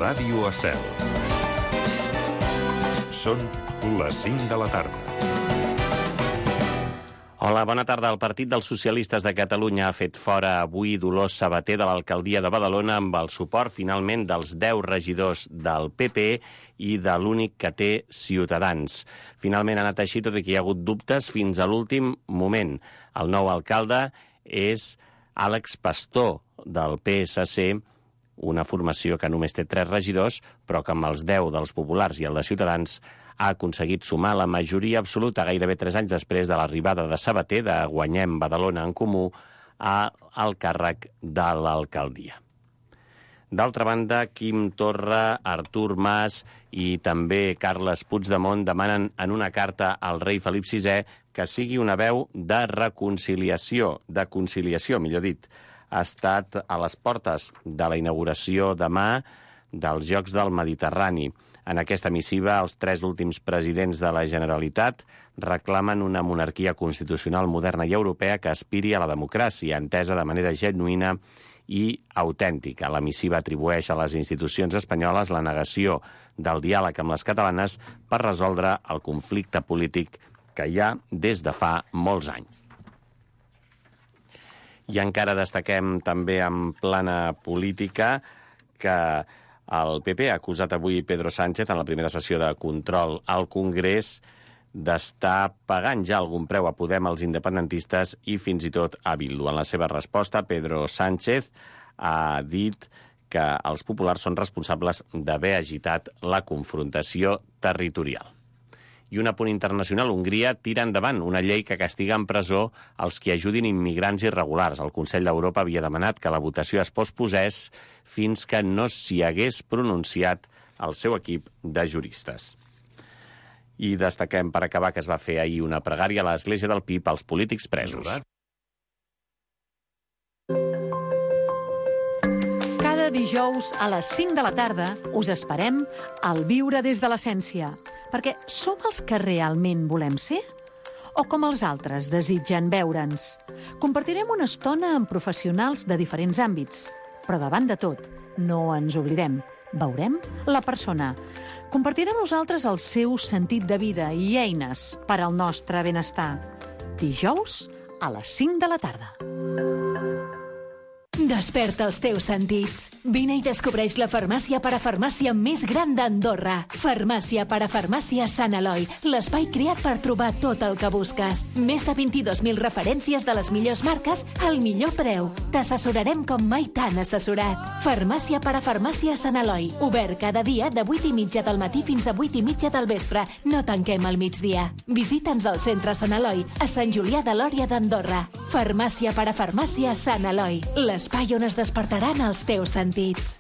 Ràdio Estel. Són les 5 de la tarda. Hola, bona tarda. El Partit dels Socialistes de Catalunya ha fet fora avui Dolors Sabater de l'alcaldia de Badalona amb el suport, finalment, dels 10 regidors del PP i de l'únic que té Ciutadans. Finalment ha anat així, tot i que hi ha hagut dubtes fins a l'últim moment. El nou alcalde és Àlex Pastor, del PSC, una formació que només té 3 regidors, però que amb els 10 dels populars i el de Ciutadans ha aconseguit sumar la majoria absoluta gairebé 3 anys després de l'arribada de Sabater, de Guanyem Badalona en Comú, al càrrec de l'alcaldia. D'altra banda, Quim Torra, Artur Mas i també Carles Puigdemont demanen en una carta al rei Felip VI que sigui una veu de reconciliació, de conciliació, millor dit. Ha estat a les portes de la inauguració demà dels Jocs del Mediterrani. En aquesta missiva, els 3 últims presidents de la Generalitat reclamen una monarquia constitucional moderna i europea que aspiri a la democràcia, entesa de manera genuïna i autèntica. La missiva atribueix a les institucions espanyoles la negació del diàleg amb les catalanes per resoldre el conflicte polític que hi ha des de fa molts anys. I encara destaquem també en plana política que el PP ha acusat avui Pedro Sánchez en la primera sessió de control al Congrés d'estar pagant ja algun preu a Podem, als independentistes i fins i tot a Bildu. En la seva resposta, Pedro Sánchez ha dit que els populars són responsables d'haver agitat la confrontació territorial. I un apunt internacional, Hongria tira endavant una llei que castiga en presó els que ajudin immigrants irregulars. El Consell d'Europa havia demanat que la votació es posposés fins que no s'hi hagués pronunciat el seu equip de juristes. I destaquem, per acabar, que es va fer ahir una pregària a l'Església del Pi pels polítics presos. Cada dijous a les 5 de la tarda us esperem al Viure des de l'Essència, perquè som els que realment volem ser? O com els altres desitgen veure'ns? Compartirem una estona amb professionals de diferents àmbits, però davant de tot, no ens oblidem, veurem la persona. Compartirem nosaltres el seu sentit de vida i eines per al nostre benestar. Dijous a les 5 de la tarda. Desperta els teus sentits. Vine i descobreix la farmàcia parafarmàcia més gran d'Andorra. Farmàcia parafarmàcia Sant Eloi, l'espai creat per trobar tot el que busques. Més de 22.000 referències de les millors marques al millor preu. T'assessorarem com mai t'han assessorat. Farmàcia parafarmàcia Sant Eloi, obert cada dia de 8:30 del matí fins a 8:30 del vespre. No tanquem al migdia. Visita'ns al centre Sant Eloi, a Sant Julià de Lòria d'Andorra. Farmàcia parafarmàcia Sant Eloi, l'espai on es despertaran els teus sentits.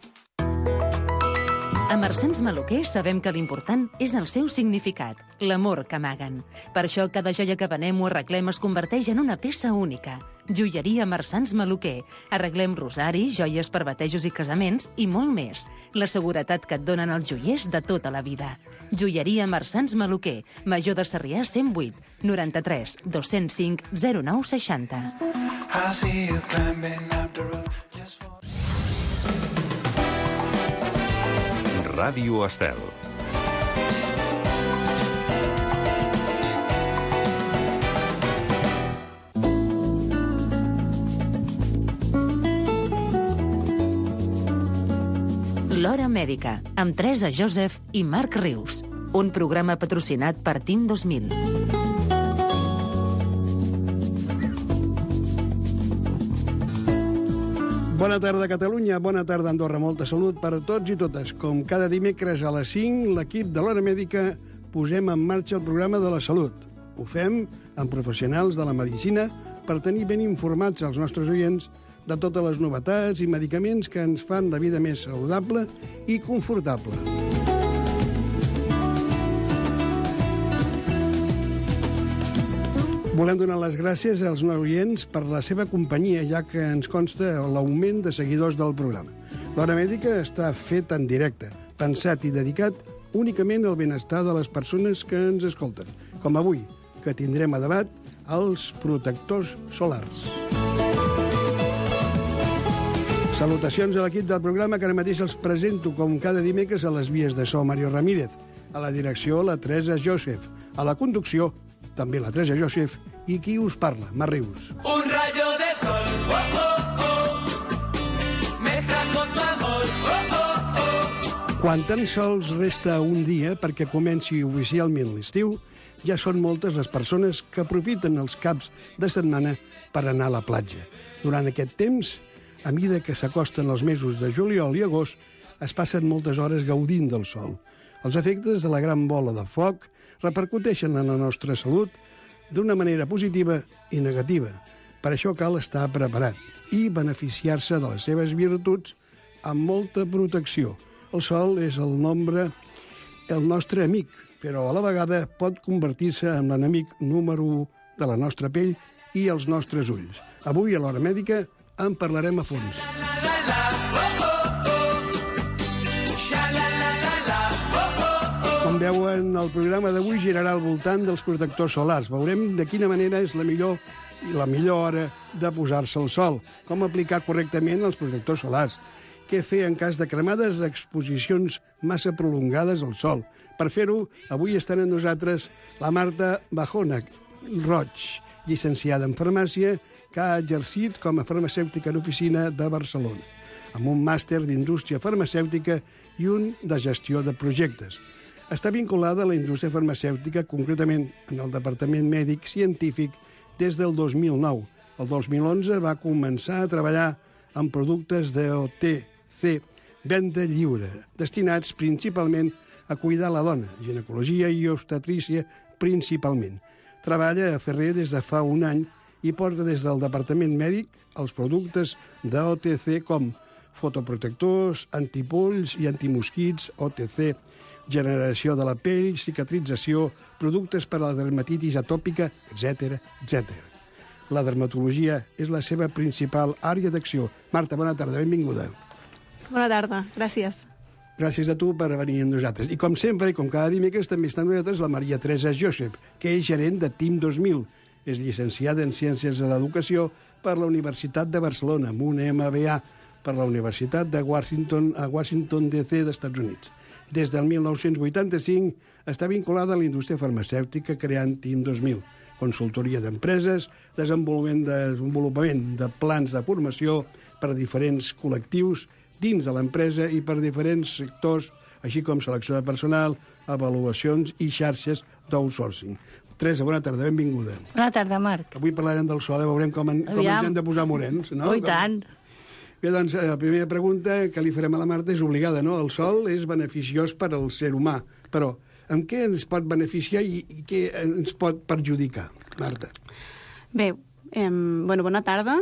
A Marsans Maluquer sabem que l'important és el seu significat, l'amor que amaguen. Per això cada joia que venem o arreglem es converteix en una peça única. Joieria Marsans Maluquer. Arreglem rosaris, joies per batejos i casaments i molt més. La seguretat que et donen els joiers de tota la vida. Joieria Marsans Maluquer. Major de Sarrià 108 93 205 09 60. Ràdio Estel. L'Hora Mèdica, amb Teresa Joseph i Marc Rius. Un programa patrocinat per Team 2000. Bona tarda, Catalunya. Bona tarda, Andorra. Molta salut per a tots i totes. Com cada dimecres a les 5, l'equip de l'Hora Mèdica posem en marxa el programa de la salut. Ho fem amb professionals de la medicina per tenir ben informats els nostres oients de totes les novetats i medicaments que ens fan la vida més saludable i confortable. Volem donar les gràcies als oients per la seva companyia, ja que ens consta l'augment de seguidors del programa. L'Hora Mèdica està fet en directe, pensat i dedicat únicament al benestar de les persones que ens escolten, com avui, que tindrem a debat els protectors solars. Salutacions a l'equip del programa que ara mateix els presento com cada dimecres a les vies de so Mario Ramírez, a la direcció la Teresa Joseph, a la conducció també la Teresa Joseph i qui us parla, Mar Rius. Un rayo de sol, oh, oh, oh, me trajo tu amor, oh, oh, oh. Quan tan sols resta un dia perquè comenci oficialment l'estiu, ja són moltes les persones que aprofiten els caps de setmana per anar a la platja. Durant aquest temps, a mesura que s'acosten els mesos de juliol i agost, es passen moltes hores gaudint del sol. Els efectes de la gran bola de foc repercuteixen en la nostra salut d'una manera positiva i negativa. Per això cal estar preparat i beneficiar-se de les seves virtuts amb molta protecció. El sol és el nostre amic, però a la vegada pot convertir-se en l'enemic número 1 de la nostra pell i els nostres ulls. Avui, a l'Hora Mèdica, en parlarem a fons. Com veuen, el programa d'avui girarà al voltant dels protectors solars. Veurem de quina manera és la millor hora de posar-se al sol, com aplicar correctament els protectors solars, què fer en cas de cremades o exposicions massa prolongades al sol. Per fer-ho, avui estan amb nosaltres la Marta Bajona Roig, llicenciada en farmàcia, que ha exercit com a farmacèutica en oficina de Barcelona, amb un màster d'indústria farmacèutica i un de gestió de projectes. Està vinculada a la indústria farmacèutica, concretament en el Departament Mèdic Científic, des del 2009. El 2011 va començar a treballar en productes d'OTC, venda lliure, destinats principalment a cuidar la dona, ginecologia i obstetrícia principalment. Treballa a Ferrer des de fa un any i porta des del Departament Mèdic els productes d'OTC com fotoprotectors, antipolls i antimosquits, OTC, generació de la pell, cicatrització, productes per a la dermatitis atòpica, etc. La dermatologia és la seva principal àrea d'acció. Marta, bona tarda, benvinguda. Bona tarda, gràcies. Gràcies a tu per venir amb nosaltres. I com sempre, i com cada dimecres, també està amb nosaltres la Maria Teresa Joseph, que és gerent de TIM 2000. És llicenciada en Ciències de l'Educació per la Universitat de Barcelona, amb un MBA per la Universitat de Washington DC d'Estats Units. Des del 1985 està vinculada a la indústria farmacèutica creant TIM 2000, consultoria d'empreses, desenvolupament de plans de formació per a diferents col·lectius dins de l'empresa i per diferents sectors, així com selecció de personal, avaluacions i xarxes d'outsourcing. Teresa, bona tarda, benvinguda. Bona tarda, Marc. Avui parlarem del sol, veurem com ens hem de posar morens, no? I tant. Bé, doncs, la primera pregunta que li farem a la Marta és obligada, no? El sol és beneficiós per al ser humà, però en què ens pot beneficiar i què ens pot perjudicar, Marta? Bé, bona tarda.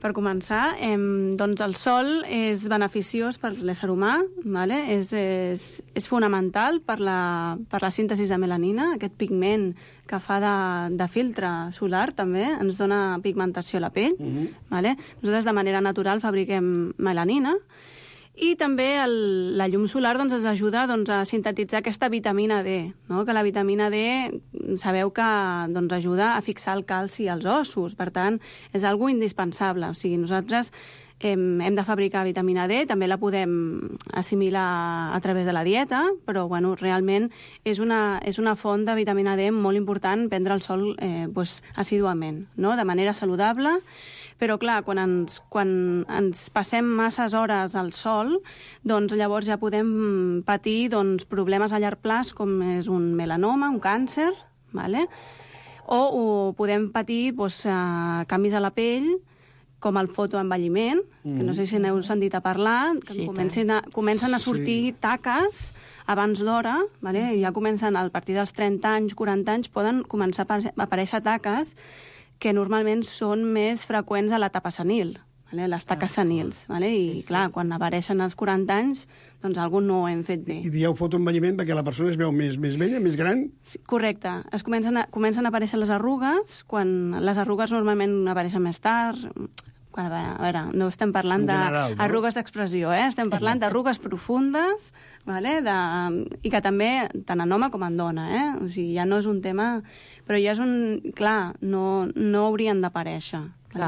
Per començar, doncs el sol és beneficiós per l'ésser humà, vale? És fonamental per la síntesi de melanina, aquest pigment que fa de filtre solar també, ens dona pigmentació a la pell. Vale? Nosaltres de manera natural fabriquem melanina i també la llum solar doncs, ens ajuda a sintetitzar aquesta vitamina D, no? Que la vitamina D sabeu que doncs, ajuda a fixar el calci als ossos, per tant, és algo indispensable. O sigui, nosaltres hem de fabricar vitamina D, també la podem assimilar a través de la dieta, però bueno, realment és una font de vitamina D molt important prendre el sol assíduament, no? De manera saludable. Però, clar, quan ens passem masses hores al sol, doncs llavors ja podem patir problemes a llarg plaç, com és un melanoma, un càncer, vale? o podem patir canvis a la pell, com el fotoenvelliment, que no sé si n'heu sentit a parlar, que sí, comencen a sortir taques abans d'hora, vale? Ja comencen a partir dels 30 anys, 40 anys, poden començar a aparèixer taques que normalment són més freqüents a l'etapa senil, vale? Les taques senils. Vale? I, clar, quan apareixen als 40 anys, doncs alguna no ho hem fet bé. I dieu fotoenvelliment perquè la persona es veu més vella, més gran? Sí, correcte. Comencen a aparèixer les arrugues, quan les arrugues normalment apareixen més tard. A veure, no estem parlant d'arrugues d'expressió, estem parlant d'arrugues profundes, vale? I que també, tant en home com en dona, O sigui, ja no és un tema... Però ja és un... Clar, no haurien d'aparèixer.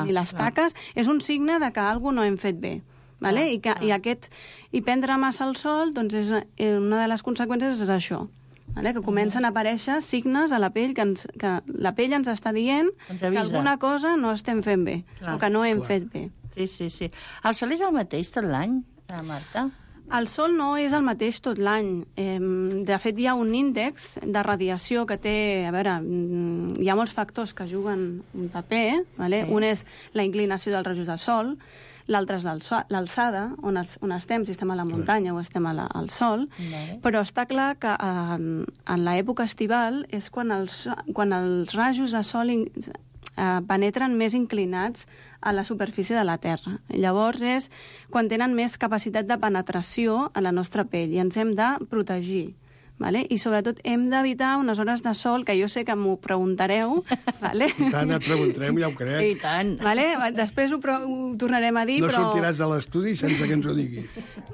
I les taques és un signe de que alguna no hem fet bé. vale? I prendre massa el sol, doncs una de les conseqüències és això, vale? Que comencen a aparèixer signes a la pell que la pell ens està dient que alguna cosa no estem fent bé, o que no hem fet bé. Sí. El sol és el mateix tot l'any, Marta? El sol no és el mateix tot l'any. De fet, hi ha un índex de radiació que té... A veure, hi ha molts factors que juguen un paper, vale? Sí. Un és la inclinació dels rajos del sol, l'altre és l'alçada, on estem, si estem a la muntanya o estem al sol, però està clar que en l'època estival és quan els rajos de sol penetren més inclinats a la superfície de la Terra. Llavors és quan tenen més capacitat de penetració a la nostra pell i ens hem de protegir. Vale? I sobretot hem d'evitar unes hores de sol, que jo sé que m'ho preguntareu. Vale? I tant, et preguntarem, ja ho crec. I tant. Vale? Després ho tornarem a dir, no però... No sortiràs de l'estudi sense que ens ho digui.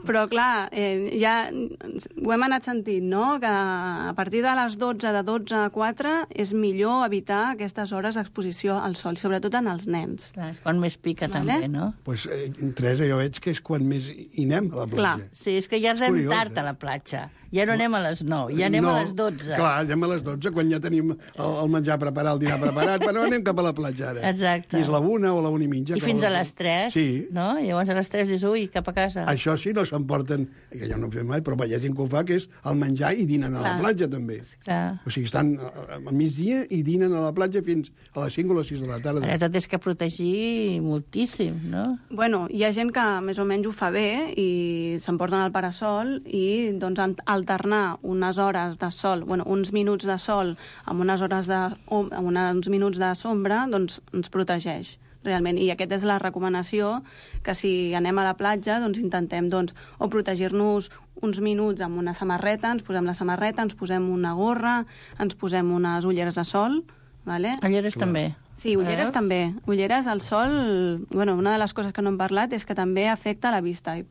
Però, clar, ja ho hem anat sentint, no?, que a partir de les 12, de 12 a 4, és millor evitar aquestes hores d'exposició al sol, sobretot en els nens. Clar, és quan més pica, també, no? Doncs, Teresa, jo veig que és quan més hi anem a la platja. Clar. Sí, és que ja anem tard a la platja. Ja no anem a les 9, ja anem a les 12. Clar, anem a les 12, quan ja tenim el menjar preparat, el dinar preparat, però anem cap a la platja ara. Exacte. I és la 1 o la 1:30. I fins a les 3, sí. No? Llavors a les 3 dius, ui, cap a casa. Això sí, no s'emporten, que jo no ho fem mai, però hi ha gent que ho fa, que és el menjar i dinen a la platja, també. Clar. O sigui, estan al migdia i dinen a la platja fins a les 5 o les 6 de la tarda. Ara tot és que protegir moltíssim, no? Bueno, hi ha gent que més o menys ho fa bé i s'emporten el parasol i doncs alternar unes hores de sol, bueno, uns minuts de sol amb unes hores amb uns minuts de sombra, doncs ens protegeix realment. I aquesta és la recomanació, que si anem a la platja, doncs intentem o protegir-nos uns minuts amb una samarreta, ens posem la samarreta, ens posem una gorra, ens posem unes ulleres de sol, vale? Ulleres també. Sí, ulleres també. Ulleres, al sol, bueno, una de les coses que no hem parlat és que també afecta la vista. I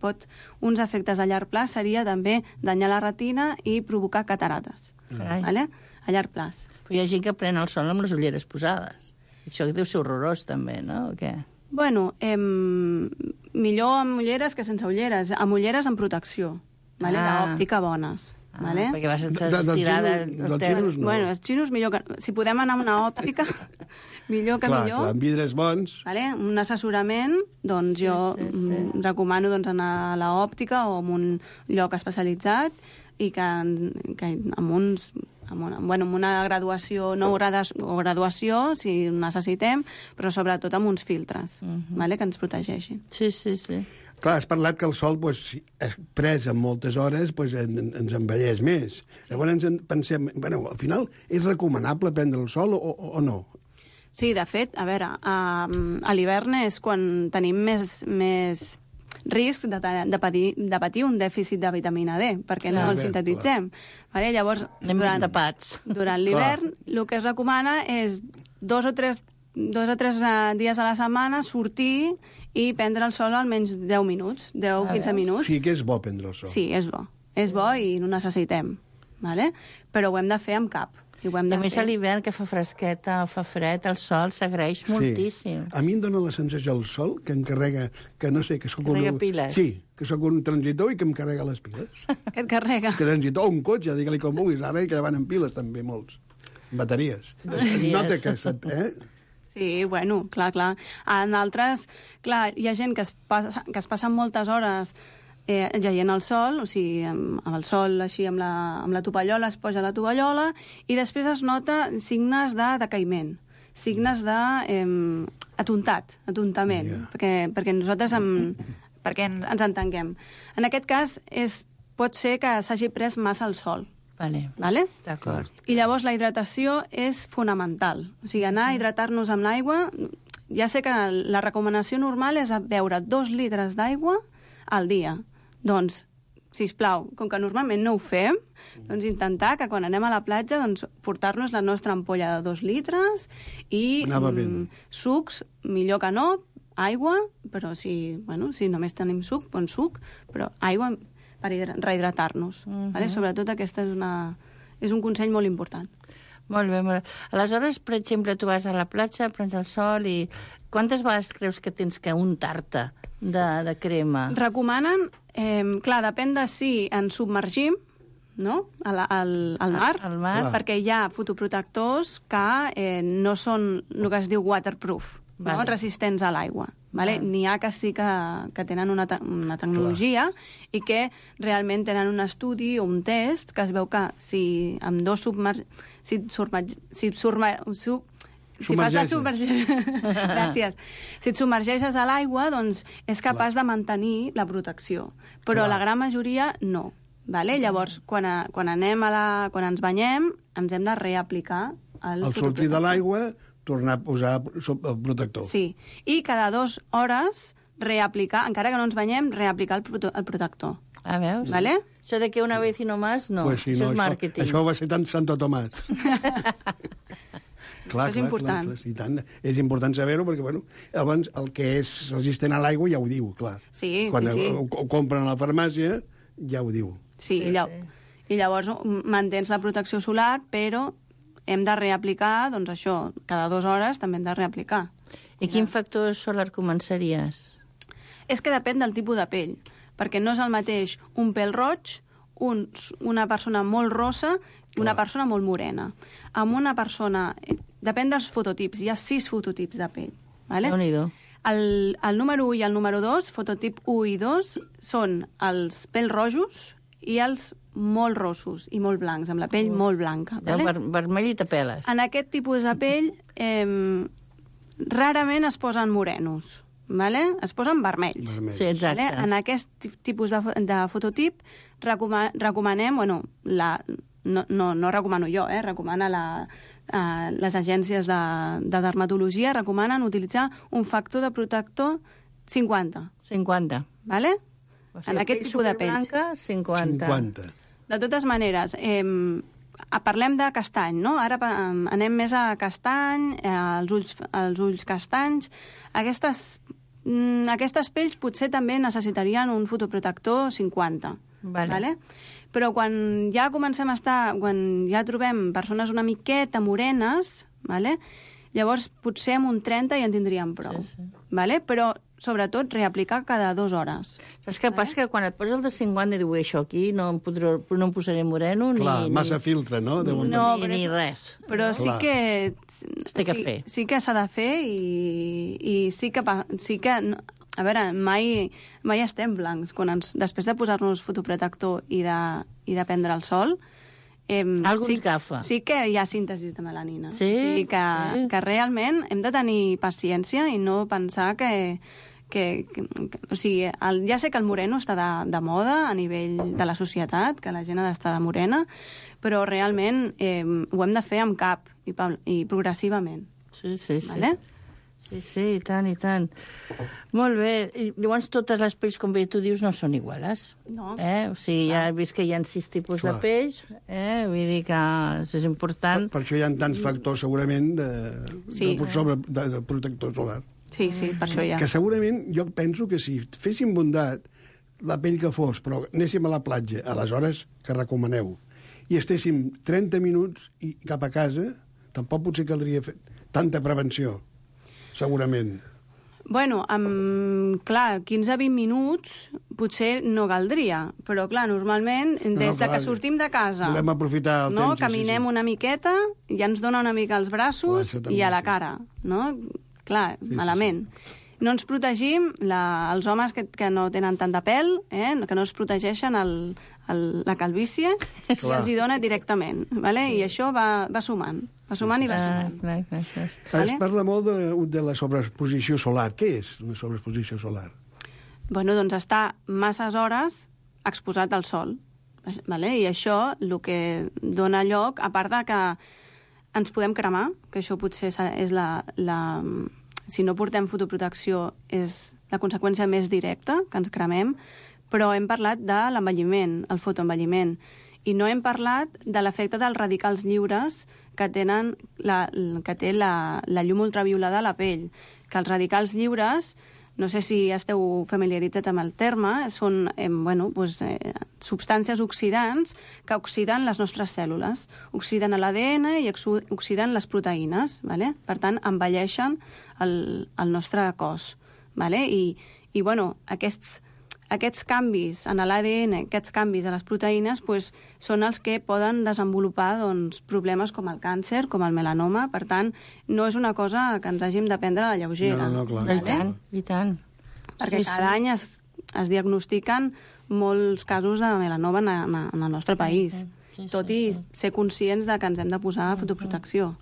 uns efectes a llarg plaç seria també danyar la retina i provocar catarates. Vale? A llarg plaç. Però hi ha gent que pren el sol amb les ulleres posades. Això deu ser horrorós, també, no? O què? Bueno, millor amb ulleres que sense ulleres. Amb ulleres amb protecció, vale? D'òptica bones. Vale? Perquè vas estirada... Dels xinos no. Bueno, els xinos millor que... Si podem anar amb una òptica, millor que millor. Clar, amb vidres bons. Vale? Un assessorament, doncs jo recomano anar a l'òptica o en un lloc especialitzat i que amb una graduació, no graduació, si necessitem, però sobretot amb uns filtres, vale? Que ens protegeixin. Sí. Clar, has parlat que el sol, pres en moltes hores, ens envelleix més. Llavors pensem, al final, és recomanable prendre el sol o no? Sí, de fet, a veure, a l'hivern és quan tenim més risc de patir un dèficit de vitamina D, perquè no el sintetitzem. Vale? Llavors, durant l'hivern, el que es recomana és 2 o 3 dies a la setmana sortir i prendre el sol almenys 10 minuts, 10-15 minuts. Sí, que és bo prendre el sol. Sí, és bo. És bo i no necessitem. Vale? Però ho hem de fer amb cap. A més, a l'hivern, que fa fresqueta o fa fred, el sol s'agraeix moltíssim. A mi em dóna la sensació el sol que em carrega, que no sé, que sóc piles. Sí, que sóc un transitor i que em carrega les piles. Que et carrega. Que transitor, un cotxe, digue-li com vulguis, ara que van en piles també molts. Bateries. Nota que... Sí, bueno, clar. En altres, clar, hi ha gent que es passa moltes hores jaient al sol, o sigui, amb el sol així amb la tovallola, es posa la tovallola i després es nota signes de decaïment, signes d'atontament, perquè nosaltres perquè ens entenguem. En aquest cas pot ser que s'hagi pres massa el sol. Vale? D'acord. I llavors la hidratació és fonamental. O sigui, anar a hidratar-nos amb l'aigua... Ja sé que la recomanació normal és beure 2 litres d'aigua al dia. Doncs, sisplau, com que normalment no ho fem, doncs intentar que quan anem a la platja portar-nos la nostra ampolla de 2 litres i sucs, millor que no, aigua, però si només tenim suc, bon suc, però aigua per rehidratar-nos. Vale? Sobretot aquesta és un consell molt important. Molt bé. Aleshores, per exemple, tu vas a la platja, prens el sol i... Quantes vegades creus que tens que untar-te de crema? Recomanen, clar, depèn de si ens submergim, no?, al mar, Al mar. perquè hi ha fotoprotectors que no són el que es diu waterproof, no? Vale. Resistents a l'aigua. Vale? N'hi ha que sí que tenen una tecnologia i que realment tenen un estudi o un test que es veu que si amb dos Gràcies. Si et submergeixes a l'aigua, doncs és capaç de mantenir la protecció. Però la gran majoria no. Vale? Llavors, quan ens banyem, ens hem de reaplicar el Al sortir de l'aigua, tornar a posar el protector. Sí, i cada 2 hores reaplicar, encara que no ens banyem, reaplicar el protector. Ah, veus? Vale? Això de que una vez y no más, no. Pues sí, Això no, és màrqueting. Això va ser tant Santo Tomàs. Això és important. Clar, i tant. És important saber-ho perquè, bueno, abans el que és resistent a l'aigua ja ho diu, clar. Sí, Quan sí. ho compren a la farmàcia, ja ho diu. Sí, i llavors mantens la protecció solar, però hem de reaplicar, doncs això, cada 2 hores també hem de reaplicar. I quin factor solar començaries? És que depèn del tipus de pell, perquè no és el mateix un pèl roig, una persona molt rossa i una persona molt morena. Amb una persona... Depèn dels fototips, hi ha 6 fototips de pell. Vale? Déu-n'hi-do. El número 1 i el número 2, fototip 1 i 2, són els pèls rojos i els molt rossos i molt blancs, amb la pell molt blanca. Vale? Vermell i tapeles. En aquest tipus de pell rarament es posen morenos, vale? Es posen vermells. Sí, exacte. Vale? En aquest tipus de fototip recomanem, bueno, no recomano jo, recomana les agències de dermatologia, recomanen utilitzar un factor de protector 50. 50. Vale? O sigui, En aquest tipus de pells. Blanca, 50. De totes maneres, parlem de castany, no? Ara anem més a castany, els ulls castanys. Aquestes pells potser també necessitarien un fotoprotector 50. Vale? Però quan ja trobem persones una miqueta morenes, vale? Llavors potser amb un 30 ja en tindríem prou. Sí. Vale? Però sobretot reaplicar cada 2 hores. Saps què passa? Que quan et poses el de 50 diu això aquí no em posaré moreno Clar, ni... massa filtre, no? Ni res. Però sí que... Té que fer. Sí que s'ha de fer i sí que... A veure, mai estem blancs. Després de posar-nos fotoprotector i de prendre el sol... Algú ens agafa. Sí que hi ha síntesi de melanina. Sí? O sigui que realment hem de tenir paciència i no pensar o sigui, ja sé que el moreno està de moda a nivell de la societat, que la gent ha d'estar de morena, però realment ho hem de fer amb cap i progressivament. Sí. Vale? Sí, i tant, i tant. Molt bé. I llavors totes les pells, com bé tu dius, no són iguales. No. O sigui, ja he vist que hi ha 6 tipus de pells, vull dir que això és important. Per això hi ha tants factors, segurament, de protector solar. Sí, per això hi ha. Que segurament jo penso que si féssim bondat la pell que fos, però anéssim a la platja, a les hores que recomaneu, i estéssim 30 minuts i cap a casa, tampoc potser caldria fer tanta prevenció, segurament. Bueno, clar, 15-20 minuts potser no caldria, però clar, normalment, des de que sortim de casa, volem aprofitar el temps. Caminem una miqueta, ja ens dona una mica als braços i a la cara, no? Clar, malament. No ens protegim, els homes que no tenen tant de pèl, que no es protegeixen la calvície, se'ls hi dona directament, vale? I això va sumant. Va sumant i va sumant. Clar. Es parla molt de la sobreexposició solar. Què és una sobreexposició solar? Bueno, doncs estar masses hores exposat al sol. Vale? I això el que dona lloc, a part de que ens podem cremar, que això potser és si no portem fotoprotecció és la conseqüència més directa, que ens cremem, però hem parlat de l'envelliment, el fotoenvelliment, i no hem parlat de l'efecte dels radicals lliures que té la llum ultraviolada a la pell, que els radicals lliures, no sé si esteu familiaritzats amb el terme, són substàncies oxidants que oxiden les nostres cèl·lules, oxiden l'ADN i oxiden les proteïnes, vale? Per tant, envelleixen el nostre cos. Vale? I, bueno, aquests canvis en l'ADN, aquests canvis a les proteïnes, doncs, són els que poden desenvolupar doncs, problemes com el càncer, com el melanoma. Per tant, no és una cosa que ens hàgim de prendre a la lleugera. No, clar. I tant. Perquè cada any es diagnostiquen molts casos de melanoma en el nostre país, tot i ser conscients de que ens hem de posar fotoprotecció.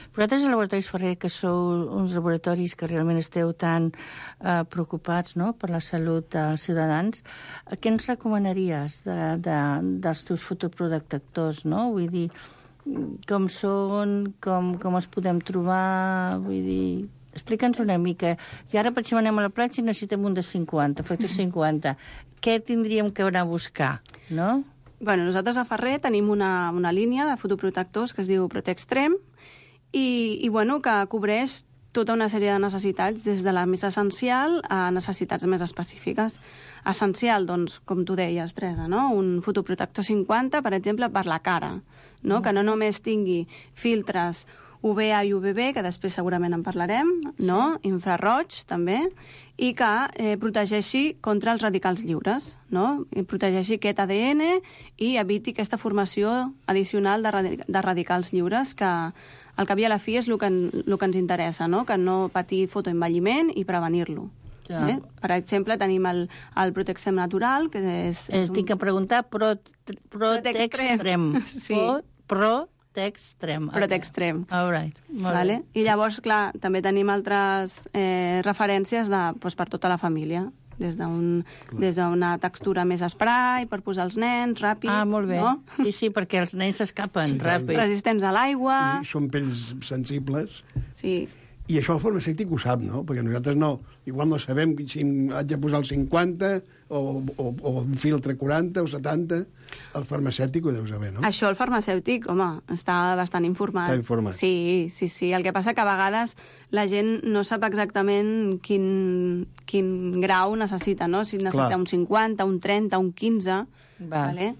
Vosaltres, als Laboratoris Ferrer, que sou uns laboratoris que realment esteu tan preocupats, no?, per la salut dels ciutadans, què ens recomanaries dels teus fotoprotectors, no? Vull dir, com són, com els podem trobar, vull dir... Explica'ns una mica. I ara, per exemple, anem a la platja i necessitem un de 50, factor 50. Què tindríem que anar a buscar, no? Bueno, nosaltres a Ferrer tenim una línia de fotoprotectors que es diu Protextrem i bueno, que cobreix tota una sèrie de necessitats, des de la més essencial a necessitats més específiques. Essencial, doncs, com tu deies, Teresa, no? Un fotoprotector 50, per exemple, per la cara, no? Que no només tingui filtres UVA i UVB, que després segurament en parlarem, no? Infraroig, també, i que protegeixi contra els radicals lliures, no? I protegeixi aquest ADN i eviti aquesta formació addicional de radicals lliures, que al cap i a la fi és el que ens interessa, no? Que no patir fotoenvelliment i prevenir-lo. Per exemple, tenim el Protextrem natural, que és Tinc que preguntar Protextrem. Sí. Protextrem. Protextrem. All right. Vale? I llavors, clar, també tenim altres referències per tota la família. Des d'una textura més spray, per posar els nens, ràpid. Ah, molt bé. No? Sí, perquè els nens s'escapen ràpid. Resistents a l'aigua. I són pells sensibles. Sí. I això el farmacèutic ho sap, no? Perquè nosaltres no. Igual no sabem si haig de posar el 50 o un filtre 40 o 70. El farmacèutic ho deu saber, no? Això el farmacèutic, home, està bastant informat. Està informat. Sí. El que passa que a vegades la gent no sap exactament quin grau necessita, no? Si necessita un 50, un 30, un 15... Vale?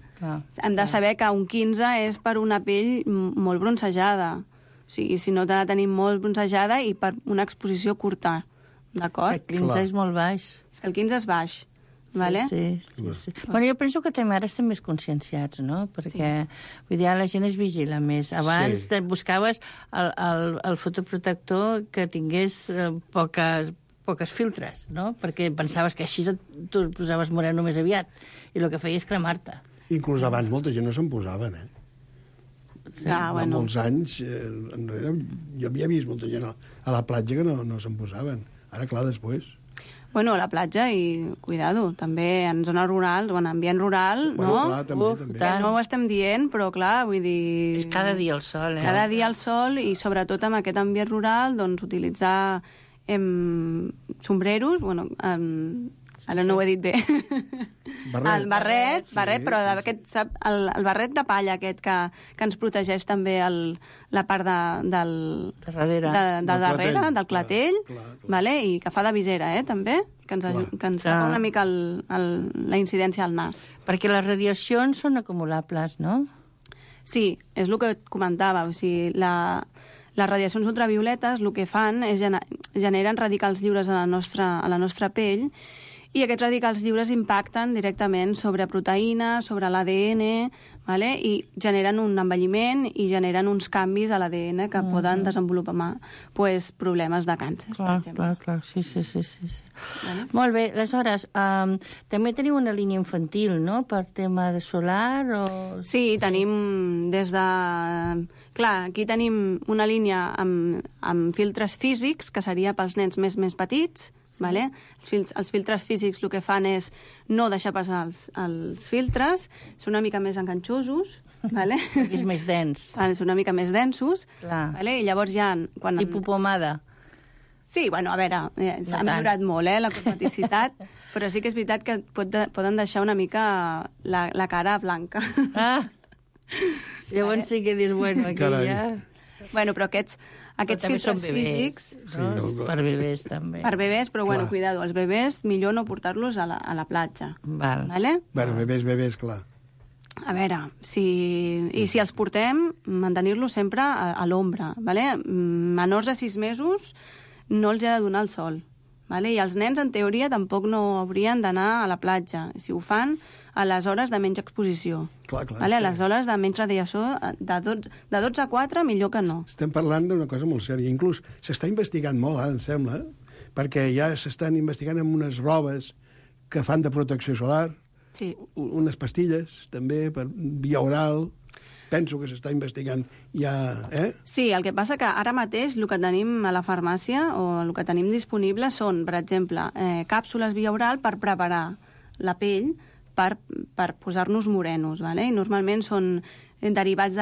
Hem de saber que un 15 és per una pell molt bronzejada. O sigui, si no t'ha de tenir molt bronzejada i per una exposició curta, d'acord? El 15 és molt baix. És que el 15 és baix, vale? Sí. Bueno, jo penso que també ara estem més conscienciats, no? Perquè, vull dir, la gent es vigila més. Abans buscaves el fotoprotector que tingués poques filtres, no? Perquè pensaves que així tu et posaves moreno més aviat i el que feia és cremar-te. Inclús abans molta gent no se'n posaven, Fa molts anys, jo havia vist molta gent a la platja que no se'n posaven. Ara, clar, després... Bueno, a la platja i, cuidado, també en zona rural, o en ambient rural, bueno, no? Clar, també. Que no ho estem dient, però clar, vull dir... És cada dia al sol, Cada dia al sol i sobretot en aquest ambient rural, doncs utilitzar sombreros, bueno, ara no ho he dit bé. El barret, però el barret de palla aquest que ens protegeix també la part de darrere, del clatell, vale? I que fa de visera, també, que ens fa una mica la incidència al nas. Perquè les radiacions són acumulables, no? Sí, és el que et comentava, o sigui, les radiacions ultravioletes el que fan és generen radicals lliures a la nostra pell, i aquests radicals lliures impacten directament sobre proteïnes, sobre l'ADN, vale? I generen un envelliment i generen uns canvis a l'ADN que poden desenvolupar problemes de càncer, per exemple. Clar, sí. Vale? Molt bé, aleshores, també teniu una línia infantil, no?, per tema de solar o... Sí, tenim des de... Clar, aquí tenim una línia amb filtres físics, que seria pels nens més petits, vale? Els filtres físics el que fan és no deixar passar els filtres, són una mica més enganxosos, vale? És més dens. Són una mica més densos, vale? I llavors ja... Tipus pomada. Sí, bueno, a veure, s'ha millorat molt, la cosmeticitat, però sí que és veritat que poden deixar una mica la cara blanca. Llavors sí que dius, bueno, aquí ja... Bueno, però aquests filtres físics... Per bebès, també. Per bebès, però, bueno, cuidado, els bebès millor no portar-los a la platja. Vale? Bueno, bebès, clar. A veure, si els portem, mantenir-los sempre a l'ombra, vale? Menors de 6 mesos no els ha de donar el sol, vale? I els nens, en teoria, tampoc no haurien d'anar a la platja. Si ho fan, a les hores de menys exposició. Clar, vale? A sí. les hores de menys radiació, de 12 a 4, millor que no. Estem parlant d'una cosa molt sèria. Inclús s'està investigant molt, em sembla, perquè ja s'estan investigant amb unes robes que fan de protecció solar, Sí. unes pastilles, també, per via oral. Penso que s'està investigant ja... Sí, el que passa que ara mateix el que tenim a la farmàcia o el que tenim disponible són, per exemple, càpsules via oral per preparar la pell per posar-nos morenos, ¿vale? I normalment són derivats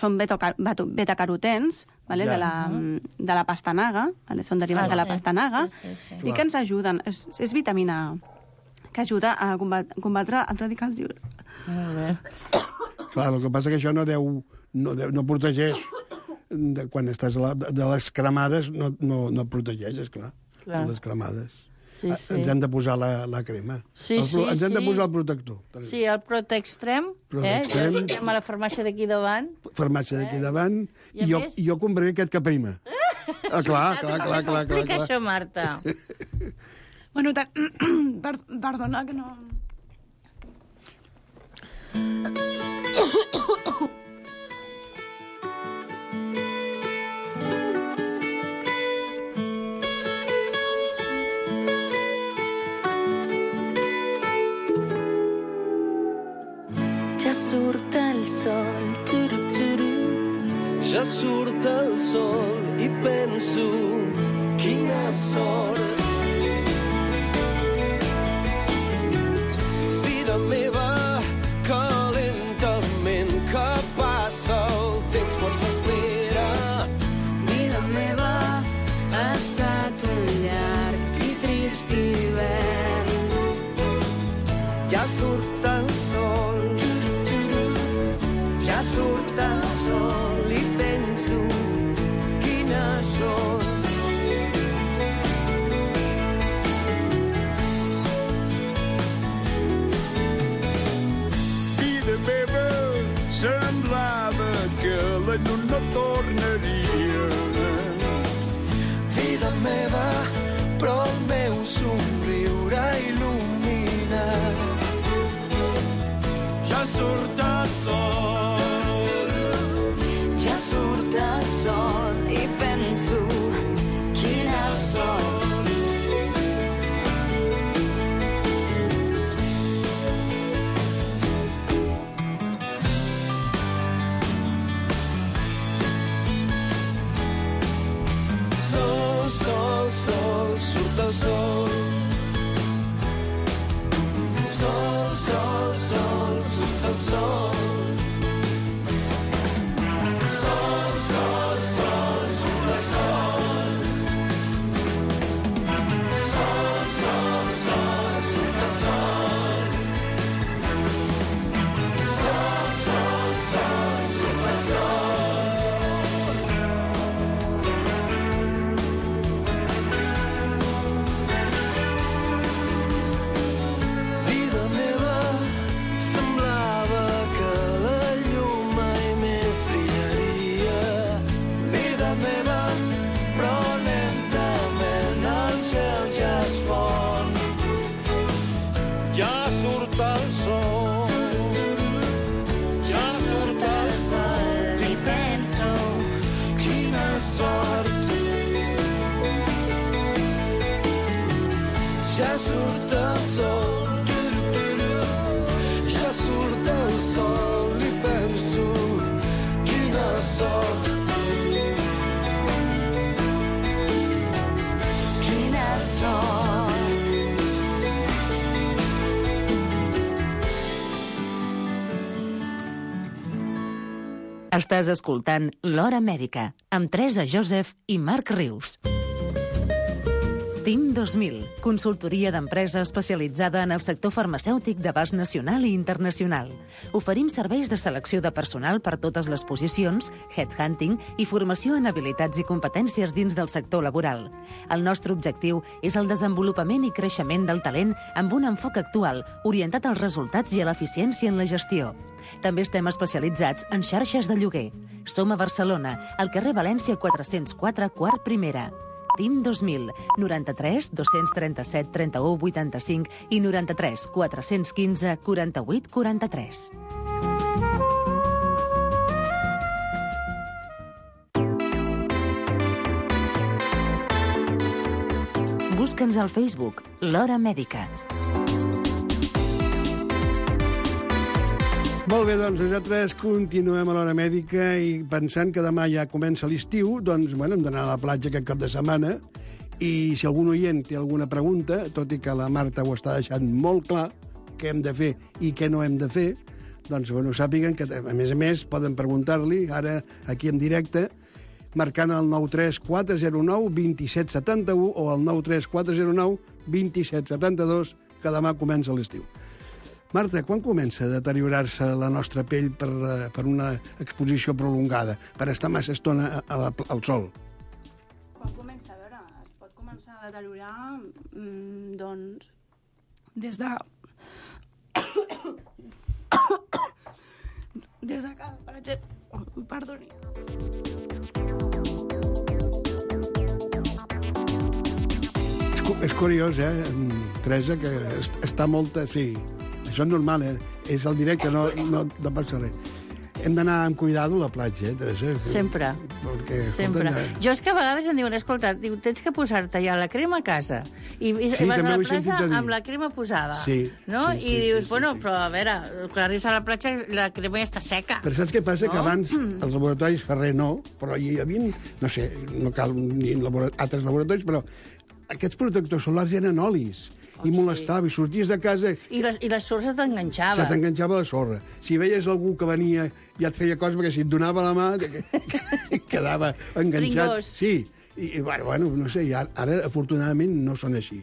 són betacarotens, ¿vale? De la pastanaga, ¿vale? Són derivats de la pastanaga, sí. I que ens ajuden. És vitamina A, que ajuda a combatre els radicals lliures. Molt bé. Clar, el que passa que això no protegeix. Quan estàs de les cremades, no protegeix, esclar, de les cremades. Sí. Ens hem de posar la crema. Ens hem de posar el protector. Sí, el Protextrem, ja a la farmàcia d'aquí davant. Farmàcia d'aquí davant, i jo compraré aquest que prima. Clar. Explica això, Marta. Bueno, perdona que no... Ja surt el sol, ja surt el sol i penso quina sort. Vida meva, que lentament que passa el temps quan s'espera. vida meva, ha estat un llarg i trist hivern. Ja surt el sol, ja surt el sol i penso quina sort. Vida meva, semblava que la llum no tornaria. Vida meva, però el meu somriure il·lumina. Ja surt el sol, Ja surt el sol i penso quina sort. sol, sol, sol, surt el sol. Sol, sol, sol, surt el sol. Sol, sol, sol, surt el sol. Sol, sol, sol, surt el sol. Sol, sol, sol, surt el sol. Vida meva, semblava que la llum mai més brillaria. Vida meva, però lentament el gel ja es fon. Ja surt el sol, ja surt el sol i penso quina sort. Ja surt el sol, ja surt el sol i penso quina sort. Quina sort. Estàs escoltant L'Hora Mèdica, amb Teresa Joseph i Marc Rius. TIM 2000, consultoria d'empresa especialitzada en el sector farmacèutic d'abast nacional i internacional. Oferim serveis de selecció de personal per totes les posicions, headhunting i formació en habilitats i competències dins del sector laboral. El nostre objectiu és el desenvolupament i creixement del talent amb un enfoc actual, orientat als resultats i a l'eficiència en la gestió. També estem especialitzats en xarxes de lloguer. Som a Barcelona, al carrer València 404, quart primera. TIM 2000, 93 237 31 85 i 93 415 48 43. Busca'ns al Facebook, l'Hora Mèdica. Molt bé, doncs nosaltres continuem a l'Hora Mèdica i pensant que demà ja comença l'estiu, doncs, bueno, hem d'anar a la platja aquest cap de setmana i si algun oient té alguna pregunta, tot i que la Marta ho està deixant molt clar, què hem de fer i què no hem de fer, doncs, bueno, sàpiguen que, a més, poden preguntar-li ara aquí en directe, marcant el 93409 2771 o el 93409 2772, que demà comença l'estiu. Marta, quan comença a deteriorar-se la nostra pell per una exposició prolongada, per estar massa estona al sol? Quan comença, a veure, es pot començar a deteriorar, doncs, des de... des de que, per exemple... Perdoni. És curiós, Teresa, que està molta... Sí, això és normal, és el directe, no passa res. Hem d'anar amb cuidado a la platja, Teresa? Sempre. Perquè, sempre. Jo és que a vegades em diuen, escolta, tens que posar-te ja la crema a casa. I vas a la platja amb la crema posada. Sí. No? I dius, bueno, però a veure, quan arribes a la platja la crema ja està seca. Però saps què passa? Que abans els laboratoris Ferrer no, però hi havia, no sé, no cal ni altres laboratoris, però aquests protectors solars eren olis. I molestava, i sorties de casa... I la sorra t'enganxava. Se t'enganxava la sorra. Si veies algú que venia i et feia coses, perquè si et donava la mà, quedava enganxat. Ringós. Sí, i bueno, no sé, ara afortunadament no són així.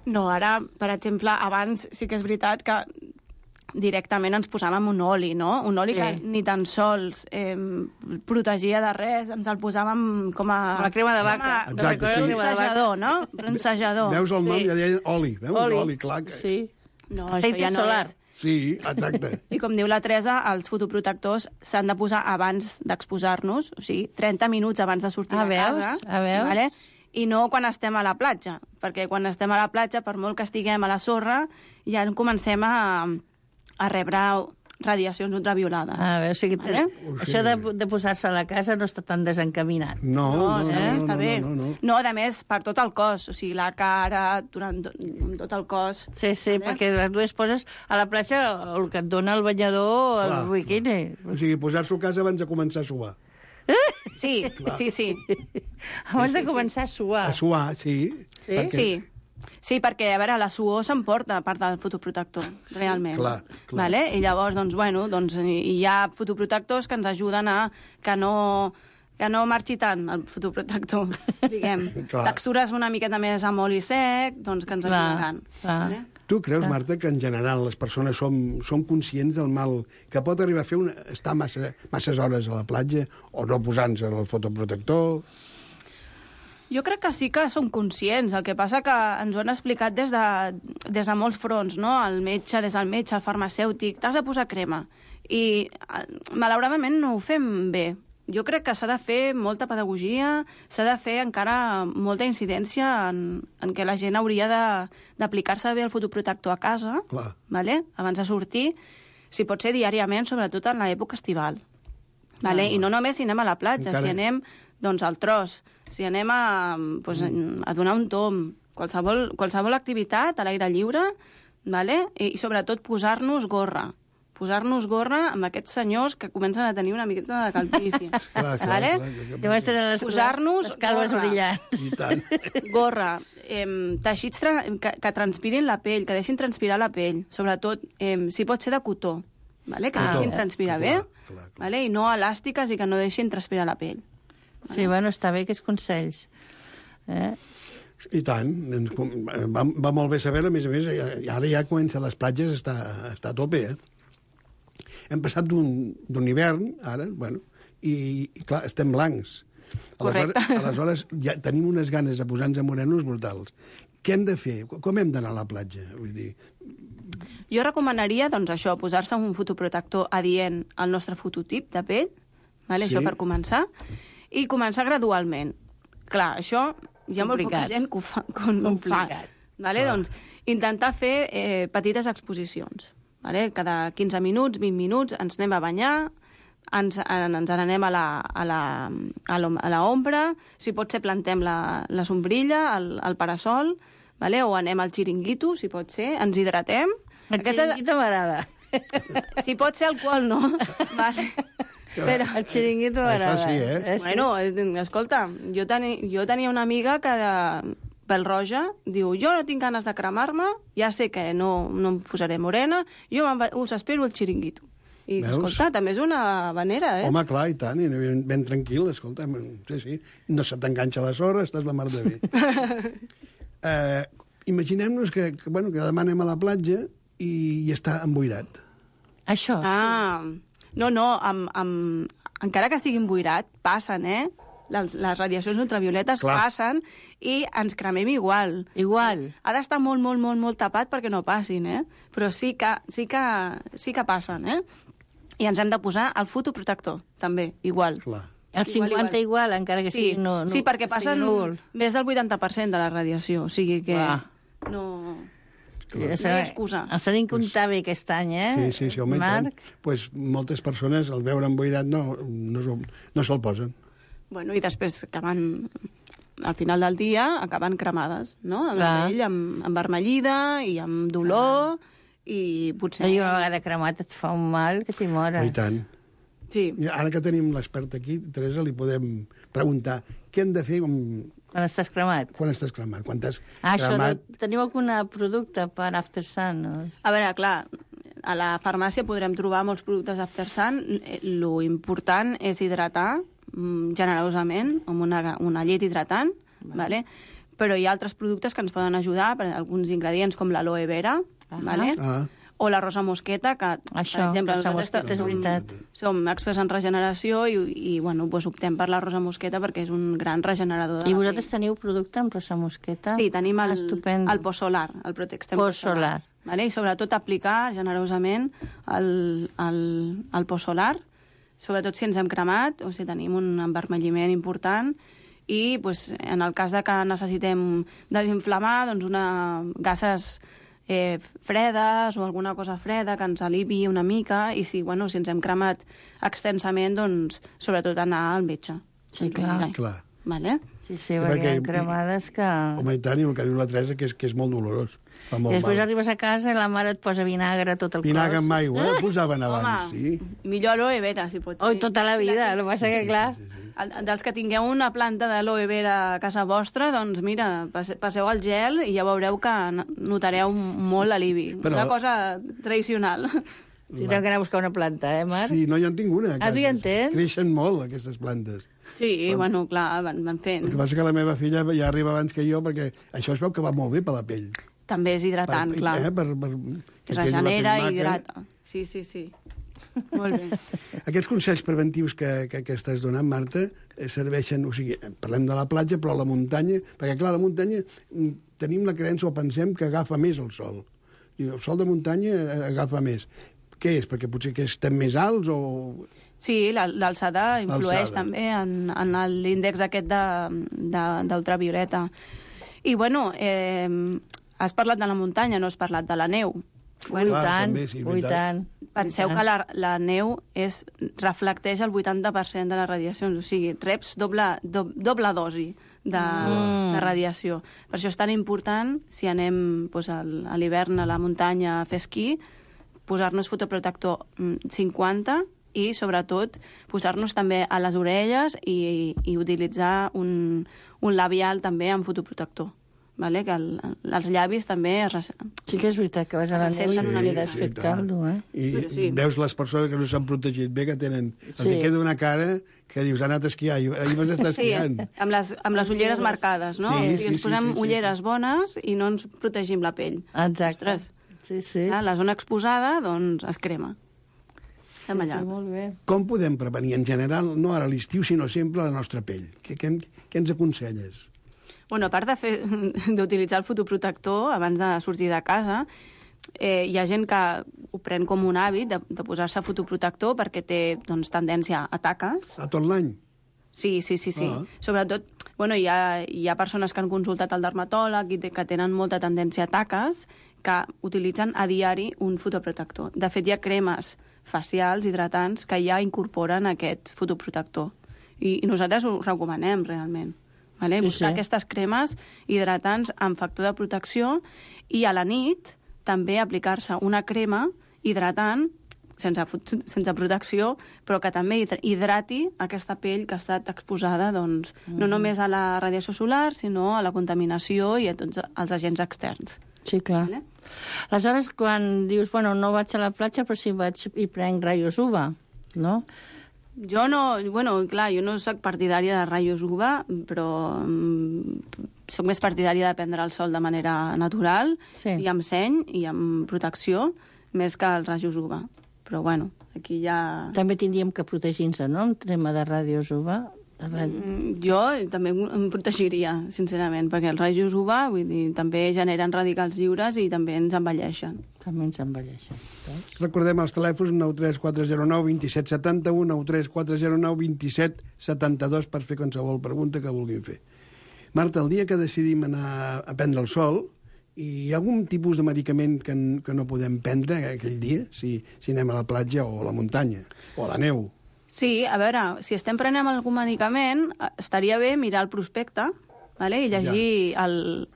No, ara, per exemple, abans sí que és veritat que directament ens posàvem un oli, no? Un oli que ni tan sols protegia de res, ens el posàvem com a... La crema de vaca. Exacte, sí. Bronzejador, no? Bronzejador. Veus el nom, ja deien oli. Veus? Oli, clar. Sí. No, això ja no és. Sí, exacte. I com diu la Teresa, els fotoprotectors s'han de posar abans d'exposar-nos, o sigui, 30 minuts abans de sortir de casa. Veus? Vale? I no quan estem a la platja, perquè quan estem a la platja, per molt que estiguem a la sorra, ja comencem a rebre radiacions ultraviolades. A veure, o sigui, això de posar-se a la casa no està tan desencaminat. No, està bé. No, a més, per tot el cos, o sigui, la cara, durant tot el cos. Sí, perquè tu es poses a la platja el que et dona el banyador, el biquini. O sigui, posar-s'ho a casa abans de començar a suar. Sí. Abans de començar a suar. A suar, sí. Sí, perquè, a veure, la suor s'emporta a part del fotoprotector, realment. Clar. Vale? I llavors, doncs, hi ha fotoprotectors que ens ajuden a que no marxi tant el fotoprotector, diguem. Textures una miqueta més amb oli sec, doncs que ens ajudaran. Vale? Tu creus, Marta, que en general les persones som conscients del mal que pot arribar a fer estar masses hores a la platja o no posant-se el fotoprotector? Jo crec que sí que som conscients. El que passa que ens ho han explicat des de molts fronts, no? Des del metge, el farmacèutic, t'has de posar crema. I, malauradament, no ho fem bé. Jo crec que s'ha de fer molta pedagogia, s'ha de fer encara molta incidència en què la gent hauria d'aplicar-se bé el fotoprotector a casa, vale? Abans de sortir, si pot ser diàriament, sobretot en l'època estival. Vale? I no només si anem a la platja, si anem al tros, si anem a donar un tomb, qualsevol activitat a l'aire lliure, vale? I sobretot posar-nos gorra amb aquests senyors que comencen a tenir una miqueta de calvície. Vale? Llavors tenen posar-nos les calves brillants. Gorra, teixits que transpirin la pell, que deixin transpirar la pell, sobretot, si pot ser de cotó, vale? Que deixin transpirar bé, vale? I no elàstiques i que no deixin transpirar la pell. Sí, bueno, està bé aquests consells. I tant. Va molt bé saber-ho, a més, ara ja comença les platges, està a tope, Hem passat d'un hivern, ara, i clar, estem blancs. Correcte. Aleshores, ja tenim unes ganes de posar-nos morenos brutals. Què hem de fer? Com hem d'anar a la platja? Vull dir... Jo recomanaria, doncs, això, posar-se un fotoprotector adient al nostre fototip de pell, vale? Sí. Això per començar. I començar gradualment. Clar, això hi ha molt poca gent que ho fa. Complicat. Vale? Doncs intentar fer petites exposicions. Vale? Cada 15 minuts, 20 minuts, ens anem a banyar, ens n'anem a la ombra, si pot ser plantem la sombrilla, el parasol, vale? O anem al xiringuito, si pot ser, ens hidratem. El xiringuito m'agrada. Si pot ser alcohol, no. Vale. Però... El xiringuito m'agrada. Això sí, Bueno, escolta, jo tenia una amiga que pel roja diu, jo no tinc ganes de cremar-me, ja sé que no em posaré morena, jo us espero el xiringuito. I, Veus? escolta, també és una manera, eh? Home, clar, i tant, i ben tranquil, escolta, sí, no se t'enganxa la sorra, estàs la mar de bé. Imaginem-nos que demà anem a la platja i està emboirat. Això. Ah, no, encara que estigui emboirat, passen, eh? Les radiacions ultravioletes passen i ens cremem igual. Igual. Ha d'estar molt, molt, molt, molt tapat perquè no passin, eh? Però sí que passen, eh? I ens hem de posar el fotoprotector, també, igual. Clar. El 50 igual, encara que sigui no, sí, perquè passen núvol. més del 80% de la radiació, o sigui que no hi ha excusa. Els tenim que comptar bé aquest any, eh? Sí, home, Marc? Pues moltes persones, al veure emboirat, no se'l posen. Bueno, i després acaben, al final del dia, acaben cremades, no? Amb la pell envermellida i amb dolor, i potser... I una vegada cremat et fa un mal que t'hi mores. I tant. Sí. I ara que tenim l'expert aquí, Teresa, li podem preguntar què hem de fer quan estàs cremat. Quan estàs cremat. Quan t'has cremat... Teniu algun producte per After Sun? No? A veure, clar, a la farmàcia podrem trobar molts productes After Sun. Lo important és hidratar generosament amb una llet hidratant, vale? Però hi ha altres productes que ens poden ajudar, per alguns ingredients com l'aloe vera, vale? O la rosa mosqueta, que, per exemple, nosaltres som experts en regeneració i bueno, doncs optem per la rosa mosqueta perquè és un gran regenerador de la pell. I vosaltres teniu producte amb rosa mosqueta? Sí, tenim el Posolar, el Protextem Posolar. Vale? I sobretot aplicar generosament el Posolar, sobretot si ens hem cremat o si tenim un envermelliment important, i pues, en el cas de que necessitem desinflamar, doncs gases fredes o alguna cosa freda que ens alivi una mica, i si ens hem cremat extensament, doncs sobretot anar al metge. Sí, clar. Vale? Sí, perquè hi ha cremades que... Home, i tant, i el que diu la Teresa, que és molt dolorós. Fa molt després mal. Arribes a casa i la mare et posa vinagre a tot el cos. Vinagre amb aigua, posaven abans, sí. Millor aloe vera, si pot ser. Oh, tota la vida, el que passa que, clar... Dels que tingueu una planta d'aloe vera a casa vostra, doncs mira, passeu el gel i ja veureu que notareu molt l'alivi. Una cosa tradicional. Tindrem que anar a buscar una planta, Marc? Sí, no, jo en tinc una. Tu ja en tens? Creixen molt, aquestes plantes. Sí, bueno, clar, van fent. El que passa que la meva filla ja arriba abans que jo, perquè això es veu que va molt bé per la pell. També és hidratant, clar. Que regenera i hidrata. Sí. Molt bé. Aquests consells preventius que estàs donant, Marta, serveixen, o sigui, parlem de la platja, però a la muntanya, perquè clar, a la muntanya tenim la creença o pensem que agafa més el sol. I el sol de muntanya agafa més. Què és? Perquè potser que estem més alts o... Sí, l'alçada influeix també en l'índex aquest d'ultravioleta. I bueno, has parlat de la muntanya, no has parlat de la neu. Bueno, i tant. Penseu que la neu reflecteix el 80% de les radiacions, o sigui, reps doble dosi de radiació. Per això és tan important, si anem a l'hivern a la muntanya a fer esquí, posar-nos fotoprotector 50 i, sobretot, posar-nos també a les orelles i utilitzar un labial també amb fotoprotector. Vale? Que els llavis també... Sí que és veritat que vas a la neu i quedes fet caldo, eh? I veus les persones que no s'han protegit bé, que tenen... Els queda una cara que dius, ha anat a esquiar, ahir vas estar esquiant. Sí, amb les ulleres marcades, no? Sí, ens posem ulleres bones i no ens protegim la pell. Exacte. Sí. La zona exposada, doncs, es crema. Sí, molt bé. Com podem prevenir, en general, no ara a l'estiu, sinó sempre la nostra pell? Què ens aconselles? Bueno, a part d'utilitzar el fotoprotector abans de sortir de casa, hi ha gent que ho pren com un hàbit de posar-se fotoprotector perquè té doncs, tendència a taques. A tot l'any? Sí. Sobretot, hi ha persones que han consultat el dermatòleg i que tenen molta tendència a taques que utilitzen a diari un fotoprotector. De fet, hi ha cremes facials, hidratants, que ja incorporen aquest fotoprotector. I nosaltres ho recomanem, realment. Vale? Buscar aquestes cremes hidratants amb factor de protecció i a la nit també aplicar-se una crema hidratant sense protecció, però que també hidrati aquesta pell que ha estat exposada doncs, no només a la radiació solar, sinó a la contaminació i a tots els agents externs. Sí, clar. Vale? Aleshores, quan dius, no vaig a la platja, però sí vaig i prenc raios UVA, no? Jo no, jo no soc partidària de raios UVA, però soc més partidària de prendre el sol de manera natural, i amb seny i amb protecció, més que els rajos UVA. Però, aquí ja... També tindríem que protegir-nos, no?, en tema de rajos UVA. Jo també em protegiria, sincerament, perquè els rajos UVA també generen radicals lliures i també ens envelleixen. També ens envelleixen. Recordem els telèfons 93409 2771, 93409 2772 per fer qualsevol pregunta que vulguin fer. Marta, el dia que decidim anar a prendre el sol, hi ha algun tipus de medicament que no podem prendre aquell dia, si anem a la platja o a la muntanya, o a la neu? Sí, a veure, si estem prenent algun medicament, estaria bé mirar el prospecte, vale? I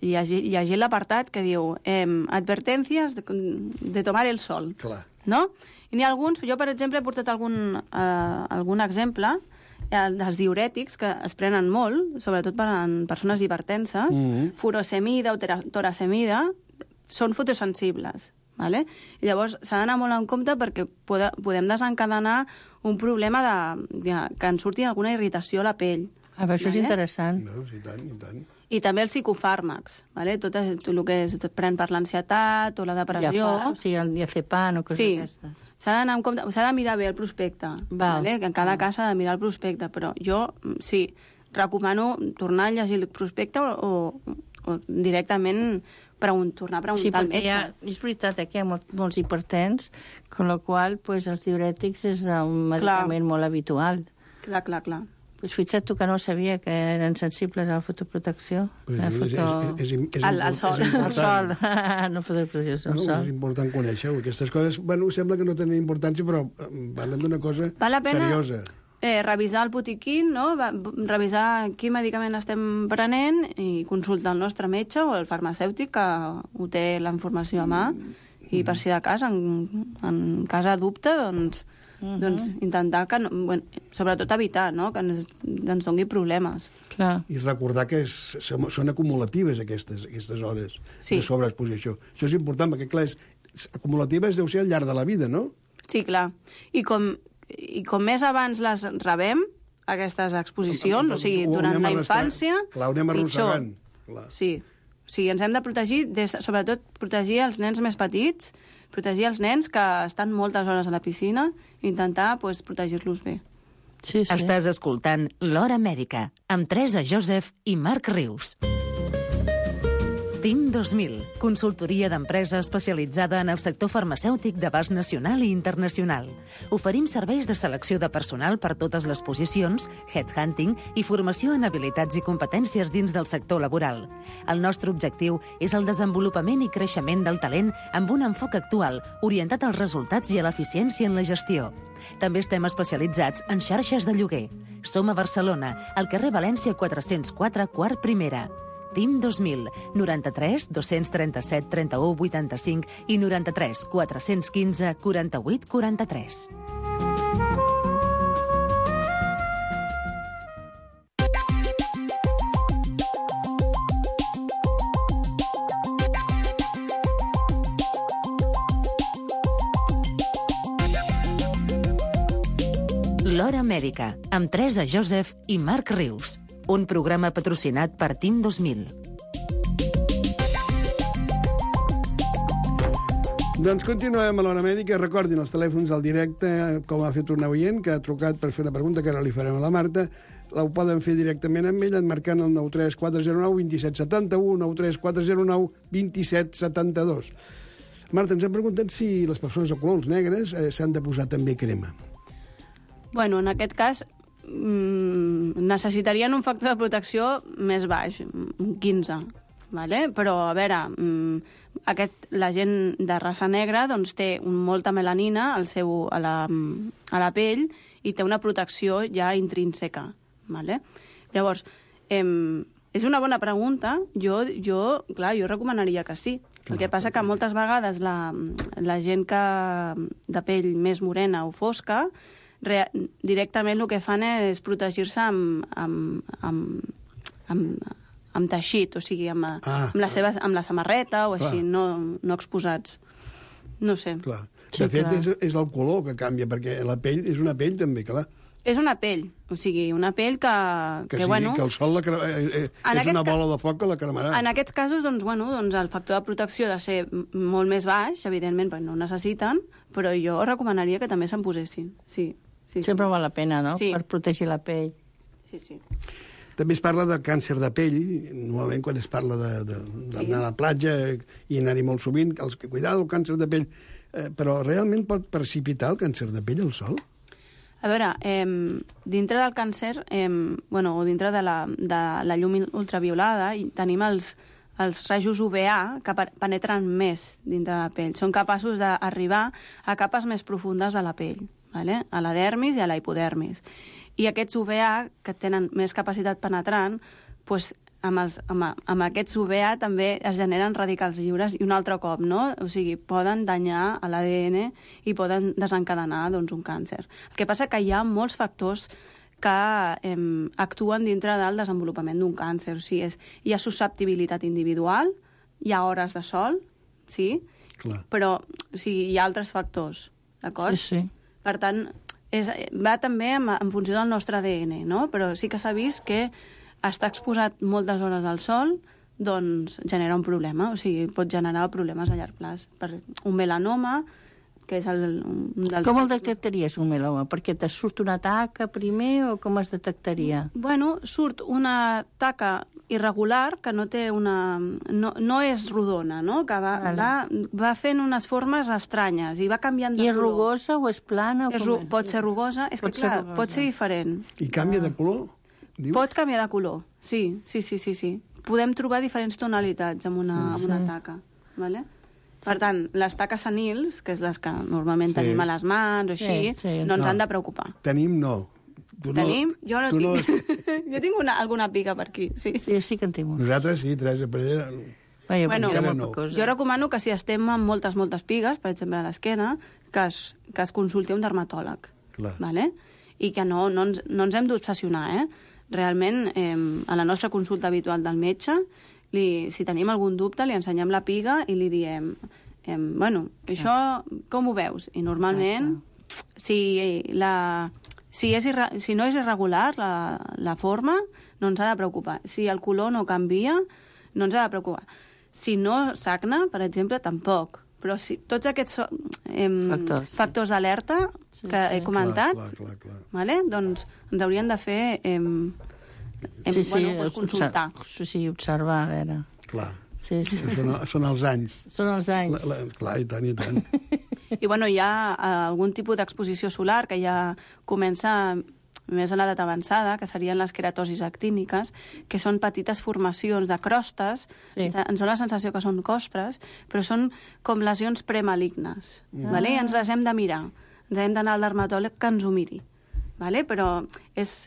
llegir l'apartat que diu advertències de tomar el sol. Clar. No? I n'hi ha alguns, jo per exemple he portat algun exemple dels diurètics que es prenen molt, sobretot per a persones hipertenses, furosemida o toracemida, són fotosensibles. Vale? I llavors s'ha d'anar molt en compte perquè podem desencadenar un problema que ens surti alguna irritació a la pell. Això és interessant. I tant. I també els psicofàrmacs, vale? tot el que es pren per l'ansietat o la depressió. El diazepam o coses d'aquestes. S'ha d'anar en compte, s'ha de mirar bé el prospecte. Vale? Que en cada cas s'ha de mirar el prospecte, però jo sí, recomano tornar a llegir el prospecte o directament tornar a preguntar al metge. És veritat que hi ha molts hipertens, amb la qual cosa els diurètics és un medicament molt habitual. Clar. Pues fixa't tu que no sabia que eren sensibles a la fotoprotecció. Al sol. Al sol. No fotoprotecció, al sol. És important conèixer-ho. Aquestes coses, sembla que no tenen importància, però parlen d'una cosa seriosa. Revisar el botiquín, no? Revisar quin medicament estem prenent i consultar el nostre metge o el farmacèutic que ho té la informació a mà i per si de cas, en cas de dubte, doncs intentar que, sobretot evitar, no? Que ens doni problemes. Clar. I recordar que són acumulatives aquestes hores de sobreexposició. Això és important, perquè clar, acumulatives deu ser al llarg de la vida, no? Sí, clar. I com més abans les rebem, aquestes exposicions, o sigui, durant la infància, clar, ho anem arrossegant. Sí. O sigui, ens hem de protegir, sobretot protegir els nens més petits, protegir els nens que estan moltes hores a la piscina, i intentar protegir-los bé. Sí. Estàs escoltant L'Hora Mèdica, amb Teresa Joseph i Marc Rius. TIM 2000, consultoria d'empresa especialitzada en el sector farmacèutic d'abast nacional i internacional. Oferim serveis de selecció de personal per totes les posicions, headhunting i formació en habilitats i competències dins del sector laboral. El nostre objectiu és el desenvolupament i creixement del talent amb un enfoc actual, orientat als resultats i a l'eficiència en la gestió. També estem especialitzats en xarxes de lloguer. Som a Barcelona, al carrer València 404, quart primera. TIM 2000, 93 237 31 85 i 93 415 48 43. L'Hora Mèdica, amb Teresa Joseph i Marc Rius. Un programa patrocinat per TIM 2000. Doncs continuem a l'Hora Mèdica. Recordin els telèfons al directe, com ha fet un oient que ha trucat per fer una pregunta que ara li farem a la Marta. Ho poden fer directament amb ell, marcant el 93409 2771, 93409 2772. Marta, ens han preguntat si les persones de colors negres s'han de posar també crema. Bueno, en aquest cas, necessitarien un factor de protecció més baix, un 15, vale? Però, a veure, la gent de raça negra doncs, té molta melanina a la pell i té una protecció ja intrínseca. Vale? Llavors, és una bona pregunta. Jo recomanaria que sí. El que passa que moltes vegades la gent de pell més morena o fosca directament el que fan és protegir-se amb teixit, o sigui, amb la samarreta o així, no exposats. No sé. Clar. De fet, és el color que canvia, perquè la pell és una pell també, clar. És una pell, o sigui, una pell que bueno... Que el sol és una bola de foc que la cremarà. En aquests casos, doncs, el factor de protecció ha de ser molt més baix, evidentment, perquè no ho necessiten, però jo recomanaria que també se'n posessin, sí. Sempre val la pena, no?, sí. Per protegir la pell. Sí. També es parla de càncer de pell, normalment quan es parla d'anar a la platja i anar-hi molt sovint, cuidado, el càncer de pell, però realment pot precipitar el càncer de pell el sol? A veure, dintre del càncer, o dintre de la llum ultraviolada, tenim els rajos UVA que penetren més dintre de la pell. Són capaços d'arribar a capes més profundes de la pell, vale? A la dermis i a la hipodermis. I aquests UVA, que tenen més capacitat penetrant, doncs, amb aquests UVA també es generen radicals lliures i un altre cop, no? O sigui, poden danyar l'ADN i poden desencadenar doncs, un càncer. El que passa que hi ha molts factors que actuen dintre del desenvolupament d'un càncer. O sigui, hi ha susceptibilitat individual, hi ha hores de sol, sí? Clar. Però o sigui, hi ha altres factors, d'acord? Sí. Per tant, va també en funció del nostre ADN, no? Però sí que s'ha vist que estar exposat moltes hores al sol doncs genera un problema, o sigui, pot generar problemes a llarg plaç. Un melanoma, que és un dels... Com el detectaries, un melanoma? Perquè te surt una taca primer o com es detectaria? Bueno, surt una taca irregular que no té una... No és rodona, no? Que va fent unes formes estranyes i va canviant de color. I és rugosa o és plana? Pot ser rugosa, és que clar, pot ser diferent. I canvia de color? Dius? Pot canviar de color, sí. Podem trobar diferents tonalitats amb una taca, vale? Per tant, les taques senils, que és les que normalment tenim a les mans o així, no ens han de preocupar. Tenim no. Tenim? Jo no tinc. Jo tinc alguna pica per aquí, sí. Sí que en tinc. Nosaltres sí, Teresa Pereira. Bueno, jo recomano que si estem amb moltes pigues, per exemple a l'esquena, que es consulti un dermatòleg. Vale? I que no ens hem d'obsessionar, Realment, a la nostra consulta habitual del metge, si tenim algun dubte, li ensenyem la piga i li diem, això com ho veus? I normalment, si no és irregular la forma, no ens ha de preocupar. Si el color no canvia, no ens ha de preocupar. Si no sagna, per exemple, tampoc. Però tots aquests factors d'alerta que he comentat, vale? Doncs ens haurien de fer consultar. Sí, observar, a veure. Clar, són els anys. Són els anys. Clar, i tant. I hi ha algun tipus d'exposició solar que ja comença més a l'edat avançada, que serien les queratosis actíniques, que són petites formacions de crostes, ens dona la sensació que són costres, però són com lesions premalignes, vale? I ens les hem de mirar, ens hem d'anar al dermatòleg que ens ho miri, vale? Però és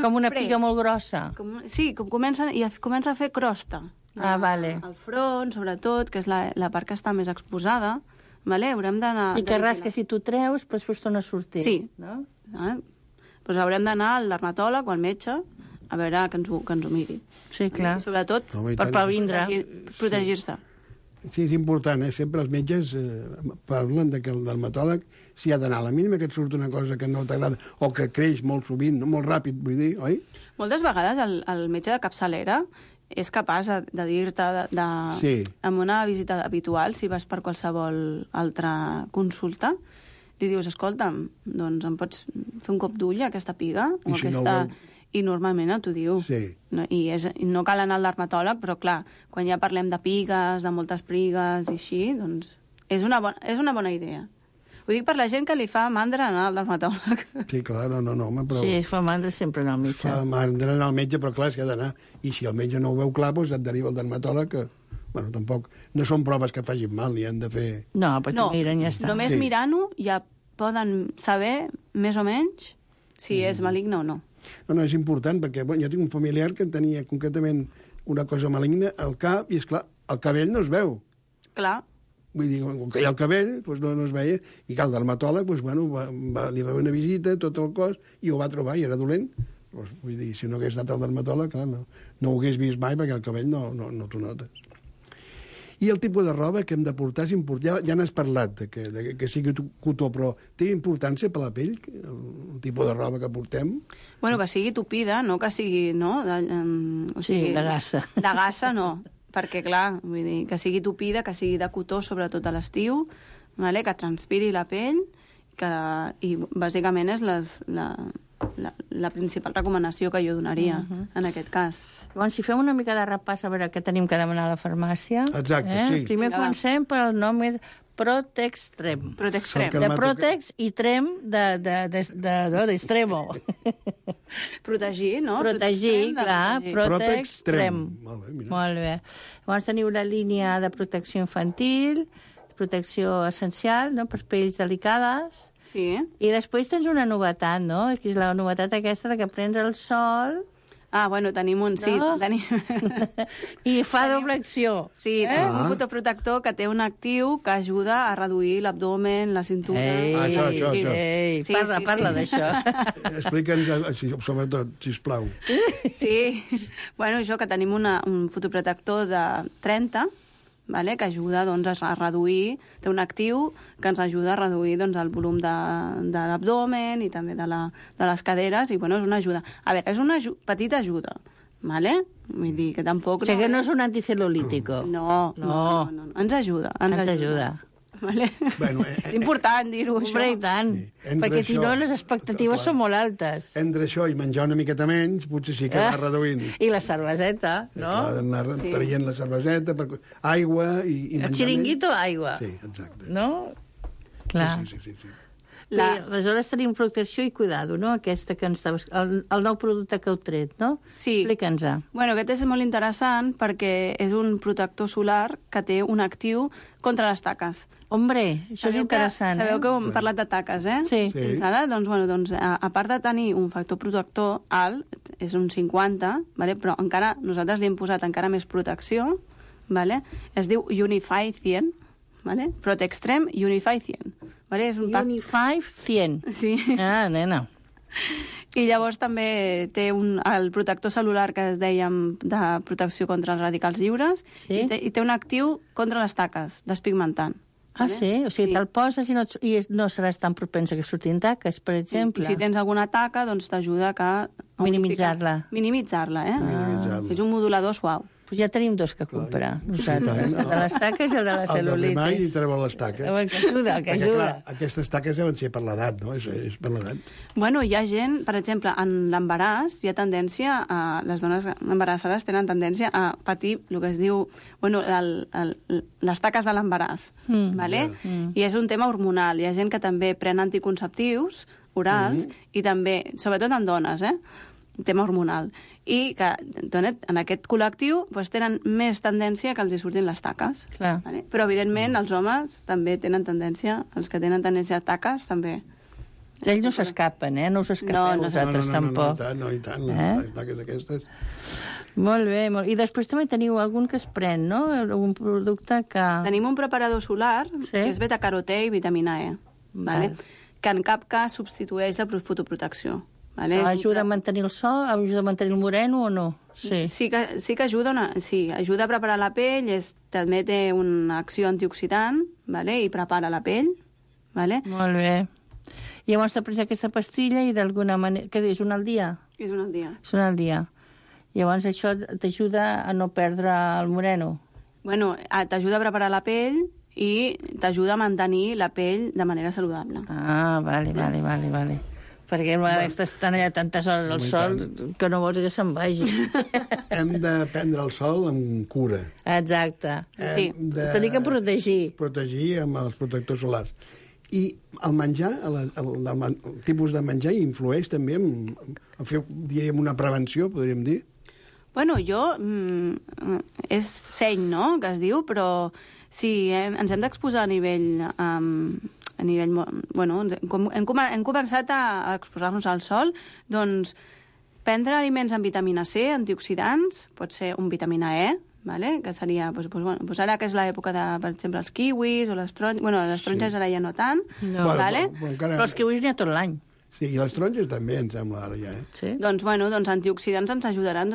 com una piga molt grossa. Sí, comença a fer crosta. Vale. Al front, sobretot, que és la part que està més exposada, vale? Haurem d'anar... I que ras que si tu treus, després torna a sortir. Sí. No? Doncs haurem d'anar al dermatòleg o al metge a veure que ens ho miri. Sí, clar. I sobretot per previndre. Protegir-se. Sí, és important, Sempre els metges parlen que el dermatòleg s'hi ha d'anar. A la mínima que et surt una cosa que no t'agrada o que creix molt sovint, molt ràpid, vull dir, oi? Moltes vegades el metge de capçalera és capaç de dir-te amb una visita habitual, si vas per qualsevol altra consulta, li dius, escolta'm, doncs em pots fer un cop d'ull a aquesta piga? O aquesta... I normalment t'ho diu. Sí. I no cal anar al dermatòleg, però clar, quan ja parlem de pigues, de moltes prigues i així, doncs és una bona idea. Ho dic per la gent que li fa mandra anar al dermatòleg. Sí, clar, no, home, però... Sí, fa mandra sempre anar al metge. Fa mandra anar al metge, però clar, és que ha d'anar. I si el metge no ho veu clar, doncs et deriva al dermatòleg, que, bueno, tampoc... No són proves que facin mal, ni han de fer... No, perquè miren i ja està. Només mirant-ho ja poden saber, més o menys, si és maligne o no. No, és important, perquè jo tinc un familiar que tenia concretament una cosa maligna al cap, i, és clar, el cabell no es veu. Clar. Vull dir, com que hi ha el cabell, doncs no es veia, i que el dermatòleg, doncs, bueno, li va fer una visita, tot el cos, i ho va trobar, i era dolent. Doncs, vull dir, si no hagués anat al dermatòleg, clar, no ho hagués vist mai, perquè el cabell no t'ho notes. I el tipus de roba que hem de portar és important. Ja n'has parlat, que sigui cotó, però té importància per la pell, el tipus de roba que portem? Bueno, que sigui tupida, no que sigui, no? Sí, de gassa. De gassa, no. Perquè, clar, vull dir, que sigui tupida, que sigui de cotó, sobretot a l'estiu, vale? Que transpiri la pell, i bàsicament és la principal recomanació que jo donaria en aquest cas. Llavors, si fem una mica de repàs a veure què tenim que demanar a la farmàcia... Exacte, sí. Primer comencem pel nom Protextrem. Protextrem. De Protex i Trem d'Extremo. Protegir, no? Protegir, clar. Protextrem. Molt bé, mira. Molt bé. Llavors teniu la línia de protecció infantil, protecció essencial, no?, per pells delicades. Sí. I després tens una novetat, no?, que és la novetat aquesta de que prens el sol... Ah, bueno, tenim un... Sí, no? tenim... I fa doble acció. Sí, tenim un fotoprotector que té un actiu que ajuda a reduir l'abdomen, la cintura... Això. Ei, Sí, parla d'això. Explica'ns, sobretot, sisplau. Sí, bueno, això, que tenim un fotoprotector de 30, vale? Que ajuda doncs, a reduir, té un actiu que ens ajuda a reduir doncs, el volum de l'abdomen i també de les caderes, i bueno, és una ajuda. A veure, és una petita ajuda, vale? Vull dir que tampoc... O sigui que no és un anticelulítico. No. Ens ajuda. Ens ajuda. Vale? Bueno, és important dir-ho, això. Hombre, i tant. Sí. Perquè si no, les expectatives són molt altes. Entre això i menjar una miqueta menys, potser sí que va reduint. I la cerveseta, no? Clar, anar traient la cerveseta, aigua i menjar El xiringuito, aigua. Sí, exacte. No? Clar. Sí. Aleshores tenim protecció i cuidado, no? Aquesta que ens estaves... El nou producte que heu tret, no? Sí. Explica'ns-ho. Bueno, aquest és molt interessant perquè és un protector solar que té un actiu contra les taques. Hombre, això és interessant. Sabeu que hem parlat de taques, eh? Sí. Fins ara, doncs, a part de tenir un factor protector alt, és un 50, vale? Però encara nosaltres li hem posat encara més protecció, vale? Es diu Unify 100, vale? Protextrem Unify 100. Vale? És un Unify 100. Sí. Ah, nena. I llavors també té el protector cel·lular que es dèiem de protecció contra els radicals lliures, Sí. i té un actiu contra les taques, despigmentant. Ah, sí? O sigui, te'l poses i no seràs tan propensa que surtin taques, per exemple. I si tens alguna taca, doncs t'ajuda a minimitzar-la. Minimitzar-la, eh? Minimitzar-la. És un modulador suau. Pues ja tenim dos que comprar, nosaltres. El de les taques i el de la El de demà i cel·lulitis. treuen les taques. Que ajuda, que Perquè, ajuda. clar, aquestes taques deuen ser per l'edat, no? És per l'edat. Bueno, hi ha gent, per exemple, en l'embaràs hi ha tendència les dones embarassades tenen tendència a patir el que es diu, bueno, les taques de l'embaràs, vale? I és un tema hormonal. Hi ha gent que també pren anticonceptius orals i també, sobretot en dones, tema hormonal. I que en aquest col·lectiu doncs, tenen més tendència que els hi surtin les taques. Clar. Vale? Però, evidentment, els homes també tenen tendència, els que tenen tendència a taques, també. Ells no s'escapen, No us escapeu vosaltres tampoc. No, i tant, les taques aquestes. Molt bé, i després també teniu algun que es pren, no? Algun producte que... Tenim un preparador solar, que és beta-carotè i vitamina E, vale? Que en cap cas substitueix la fotoprotecció. Vale? Ajuda a mantenir el sol? Ajuda a mantenir el moreno o no? Sí que ajuda, ajuda a preparar la pell, també té una acció antioxidant, vale? I prepara la pell. Vale? Molt bé. I llavors t'ha pres aquesta pastilla i d'alguna manera... Què és, una al dia? És una al dia. És una al dia. Llavors això t'ajuda a no perdre el moreno? Bueno, t'ajuda a preparar la pell i t'ajuda a mantenir la pell de manera saludable. Ah, vale. perquè a vegades estan allà tantes hores al sol que no vols que se'n vagi. Hem de prendre el sol amb cura. Exacte. Sí. Tenir que protegir. Protegir amb els protectors solars. I el menjar, el tipus de menjar influeix també en fer, diríem, una prevenció, podríem dir? Bueno, és seny, no?, que es diu, però si ens hem d'exposar a nivell... Bueno, hem començat a exposar-nos al sol, doncs prendre aliments amb vitamina C, antioxidants, pot ser un vitamina E, vale? Que seria, doncs ara que és l'època de, per exemple, els kiwis o les taronges, bueno, les taronges ara ja no tant, no. Vale? Però els kiwis n'hi ha tot l'any. Sí, i les taronges també, em sembla, ara ja. Sí. Doncs antioxidants ens ajudaran,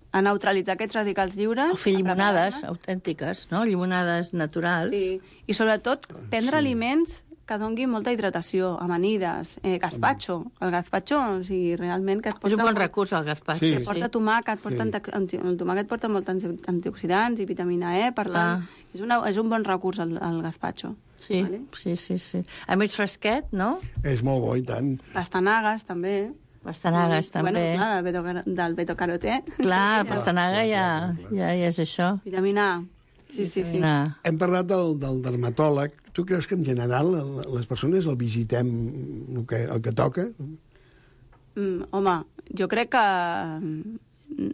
a neutralitzar aquests radicals lliures. O fer llimonades autèntiques, no? Llimonades naturals. Sí, i sobretot prendre aliments que donguin molta hidratació, amanides, gazpacho. El gazpacho, o sigui, realment... Que és un bon recurs, el gazpacho. Sí. Porta tomàquet, el tomàquet porta molts antioxidants i vitamina E, per tant, és un bon recurs el gazpacho. Sí, vale? Sí. A més fresquet, no? És molt bo, i tant. Pastanagues, també. Pastanagues, també. Bueno, clar, del beta-carotè. Clar, pastanaga ja és això. Vitamina A. Sí. Hem parlat del dermatòleg. Tu creus que en general les persones el visitem el que toca? Home, jo crec que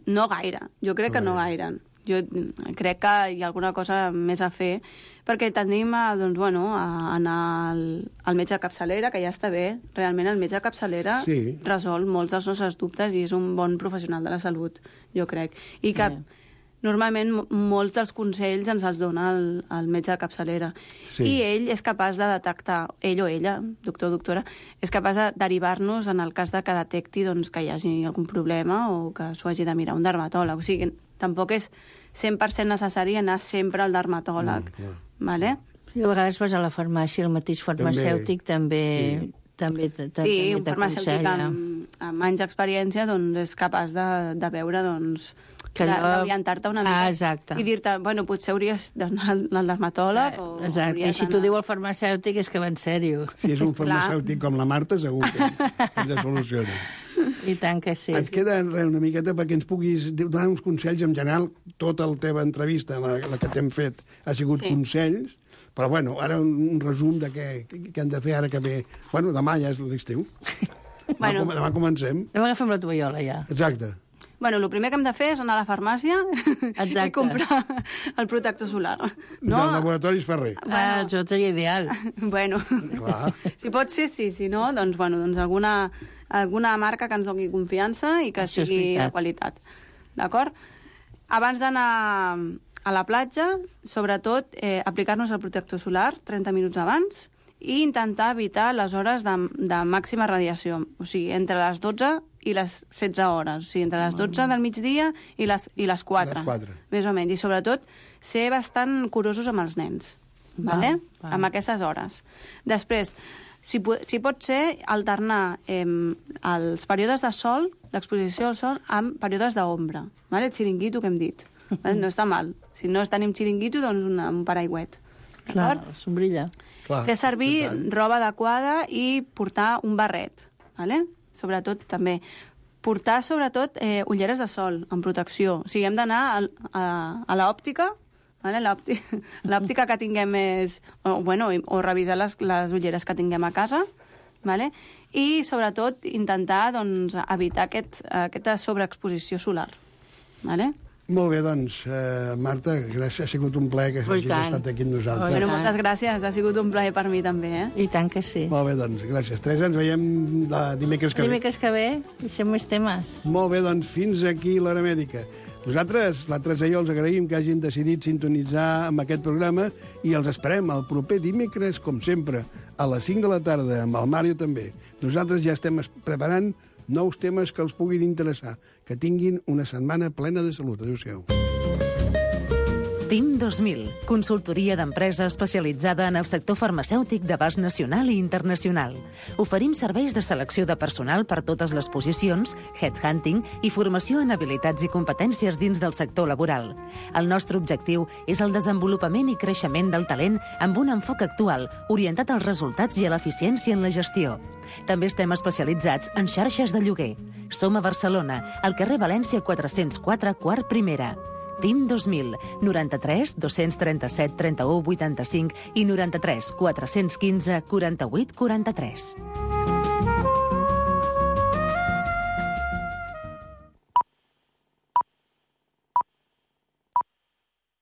no gaire. Jo crec que no gaire. Jo crec que hi ha alguna cosa més a fer, perquè tendim a anar al metge de capçalera, que ja està bé. Realment el metge de capçalera resol molts dels nostres dubtes i és un bon professional de la salut, jo crec. I que normalment molts dels consells ens els dona el metge de capçalera. Sí. I ell és capaç de detectar, ell o ella, doctor o doctora, és capaç de derivar-nos en el cas de que detecti que hi hagi algun problema o que s'ho hagi de mirar un dermatòleg. O sigui, tampoc és 100% necessari anar sempre al dermatòleg. Vale? I a vegades vas a la farmàcia, el mateix farmacèutic també un farmacèutic amb anys d'experiència és capaç de veure d'orientar-te una mica i dir-te, potser hauries d'anar al dermatòleg i si t'ho diu el farmacèutic és que va en sèrio. Si és un farmacèutic com la Marta, segur que ens soluciona. I tant que sí. Ens queda una miqueta perquè ens puguis donar uns consells. En general, tota la teva entrevista, la que t'hem fet, ha sigut consells, però ara un resum de què hem de fer ara que ve. Demà ja és l'estiu. Demà comencem. Demà agafem la tovallola, ja. Exacte. El primer que hem de fer és anar a la farmàcia i comprar el protector solar. No? Del Laboratoris Ferrer. Això seria ideal. Si pot ser, sí. Si no, alguna marca que ens doni confiança i que sigui de qualitat. D'acord? Abans d'anar a la platja, sobretot, aplicar-nos el protector solar 30 minuts abans i intentar evitar les hores de màxima radiació. O sigui, entre les 12 i les 16 hores. O sigui, entre les 12 del migdia i les 4. Més o menys. I, sobretot, ser bastant curosos amb els nens. Amb aquestes hores. Després, si pot ser, alternar els períodes de sol, l'exposició al sol, amb períodes d'ombra. El xiringuito que hem dit. No està mal. Si no tenim xiringuito, doncs un paraigüet. Clar, sombrilla. Fer servir roba adequada i portar un barret. Sobretot, també. Portar, sobretot, ulleres de sol, amb protecció. O sigui, hem d'anar a l'òptica, l'òptica que tinguem o revisar les ulleres que tinguem a casa, i, sobretot, intentar evitar aquesta sobreexposició solar. Molt bé, doncs, Marta, gràcies, ha sigut un plaer que hagis estat aquí amb nosaltres. Moltes gràcies, ha sigut un plaer per mi també. I tant que sí. Molt bé, doncs, gràcies. Teresa, ens veiem dimecres que ve. Dimecres que ve, deixem més temes. Molt bé, doncs, fins aquí l'Hora Mèdica. Nosaltres, la Teresa i jo, els agraïm que hagin decidit sintonitzar amb aquest programa i els esperem el proper dimecres, com sempre, a les 5 de la tarda, amb el Mario també. Nosaltres ja estem preparant nous temes que els puguin interessar. Que tinguin una setmana plena de salut. Adéu-siau. TIM 2000, consultoria d'empresa especialitzada en el sector farmacèutic d'abast nacional i internacional. Oferim serveis de selecció de personal per totes les posicions, headhunting i formació en habilitats i competències dins del sector laboral. El nostre objectiu és el desenvolupament i creixement del talent amb un enfoc actual, orientat als resultats i a l'eficiència en la gestió. També estem especialitzats en xarxes de lloguer. Som a Barcelona, al carrer València 404, quart primera. TIM 2000, 93 237 31 85 i 93 415 48 43.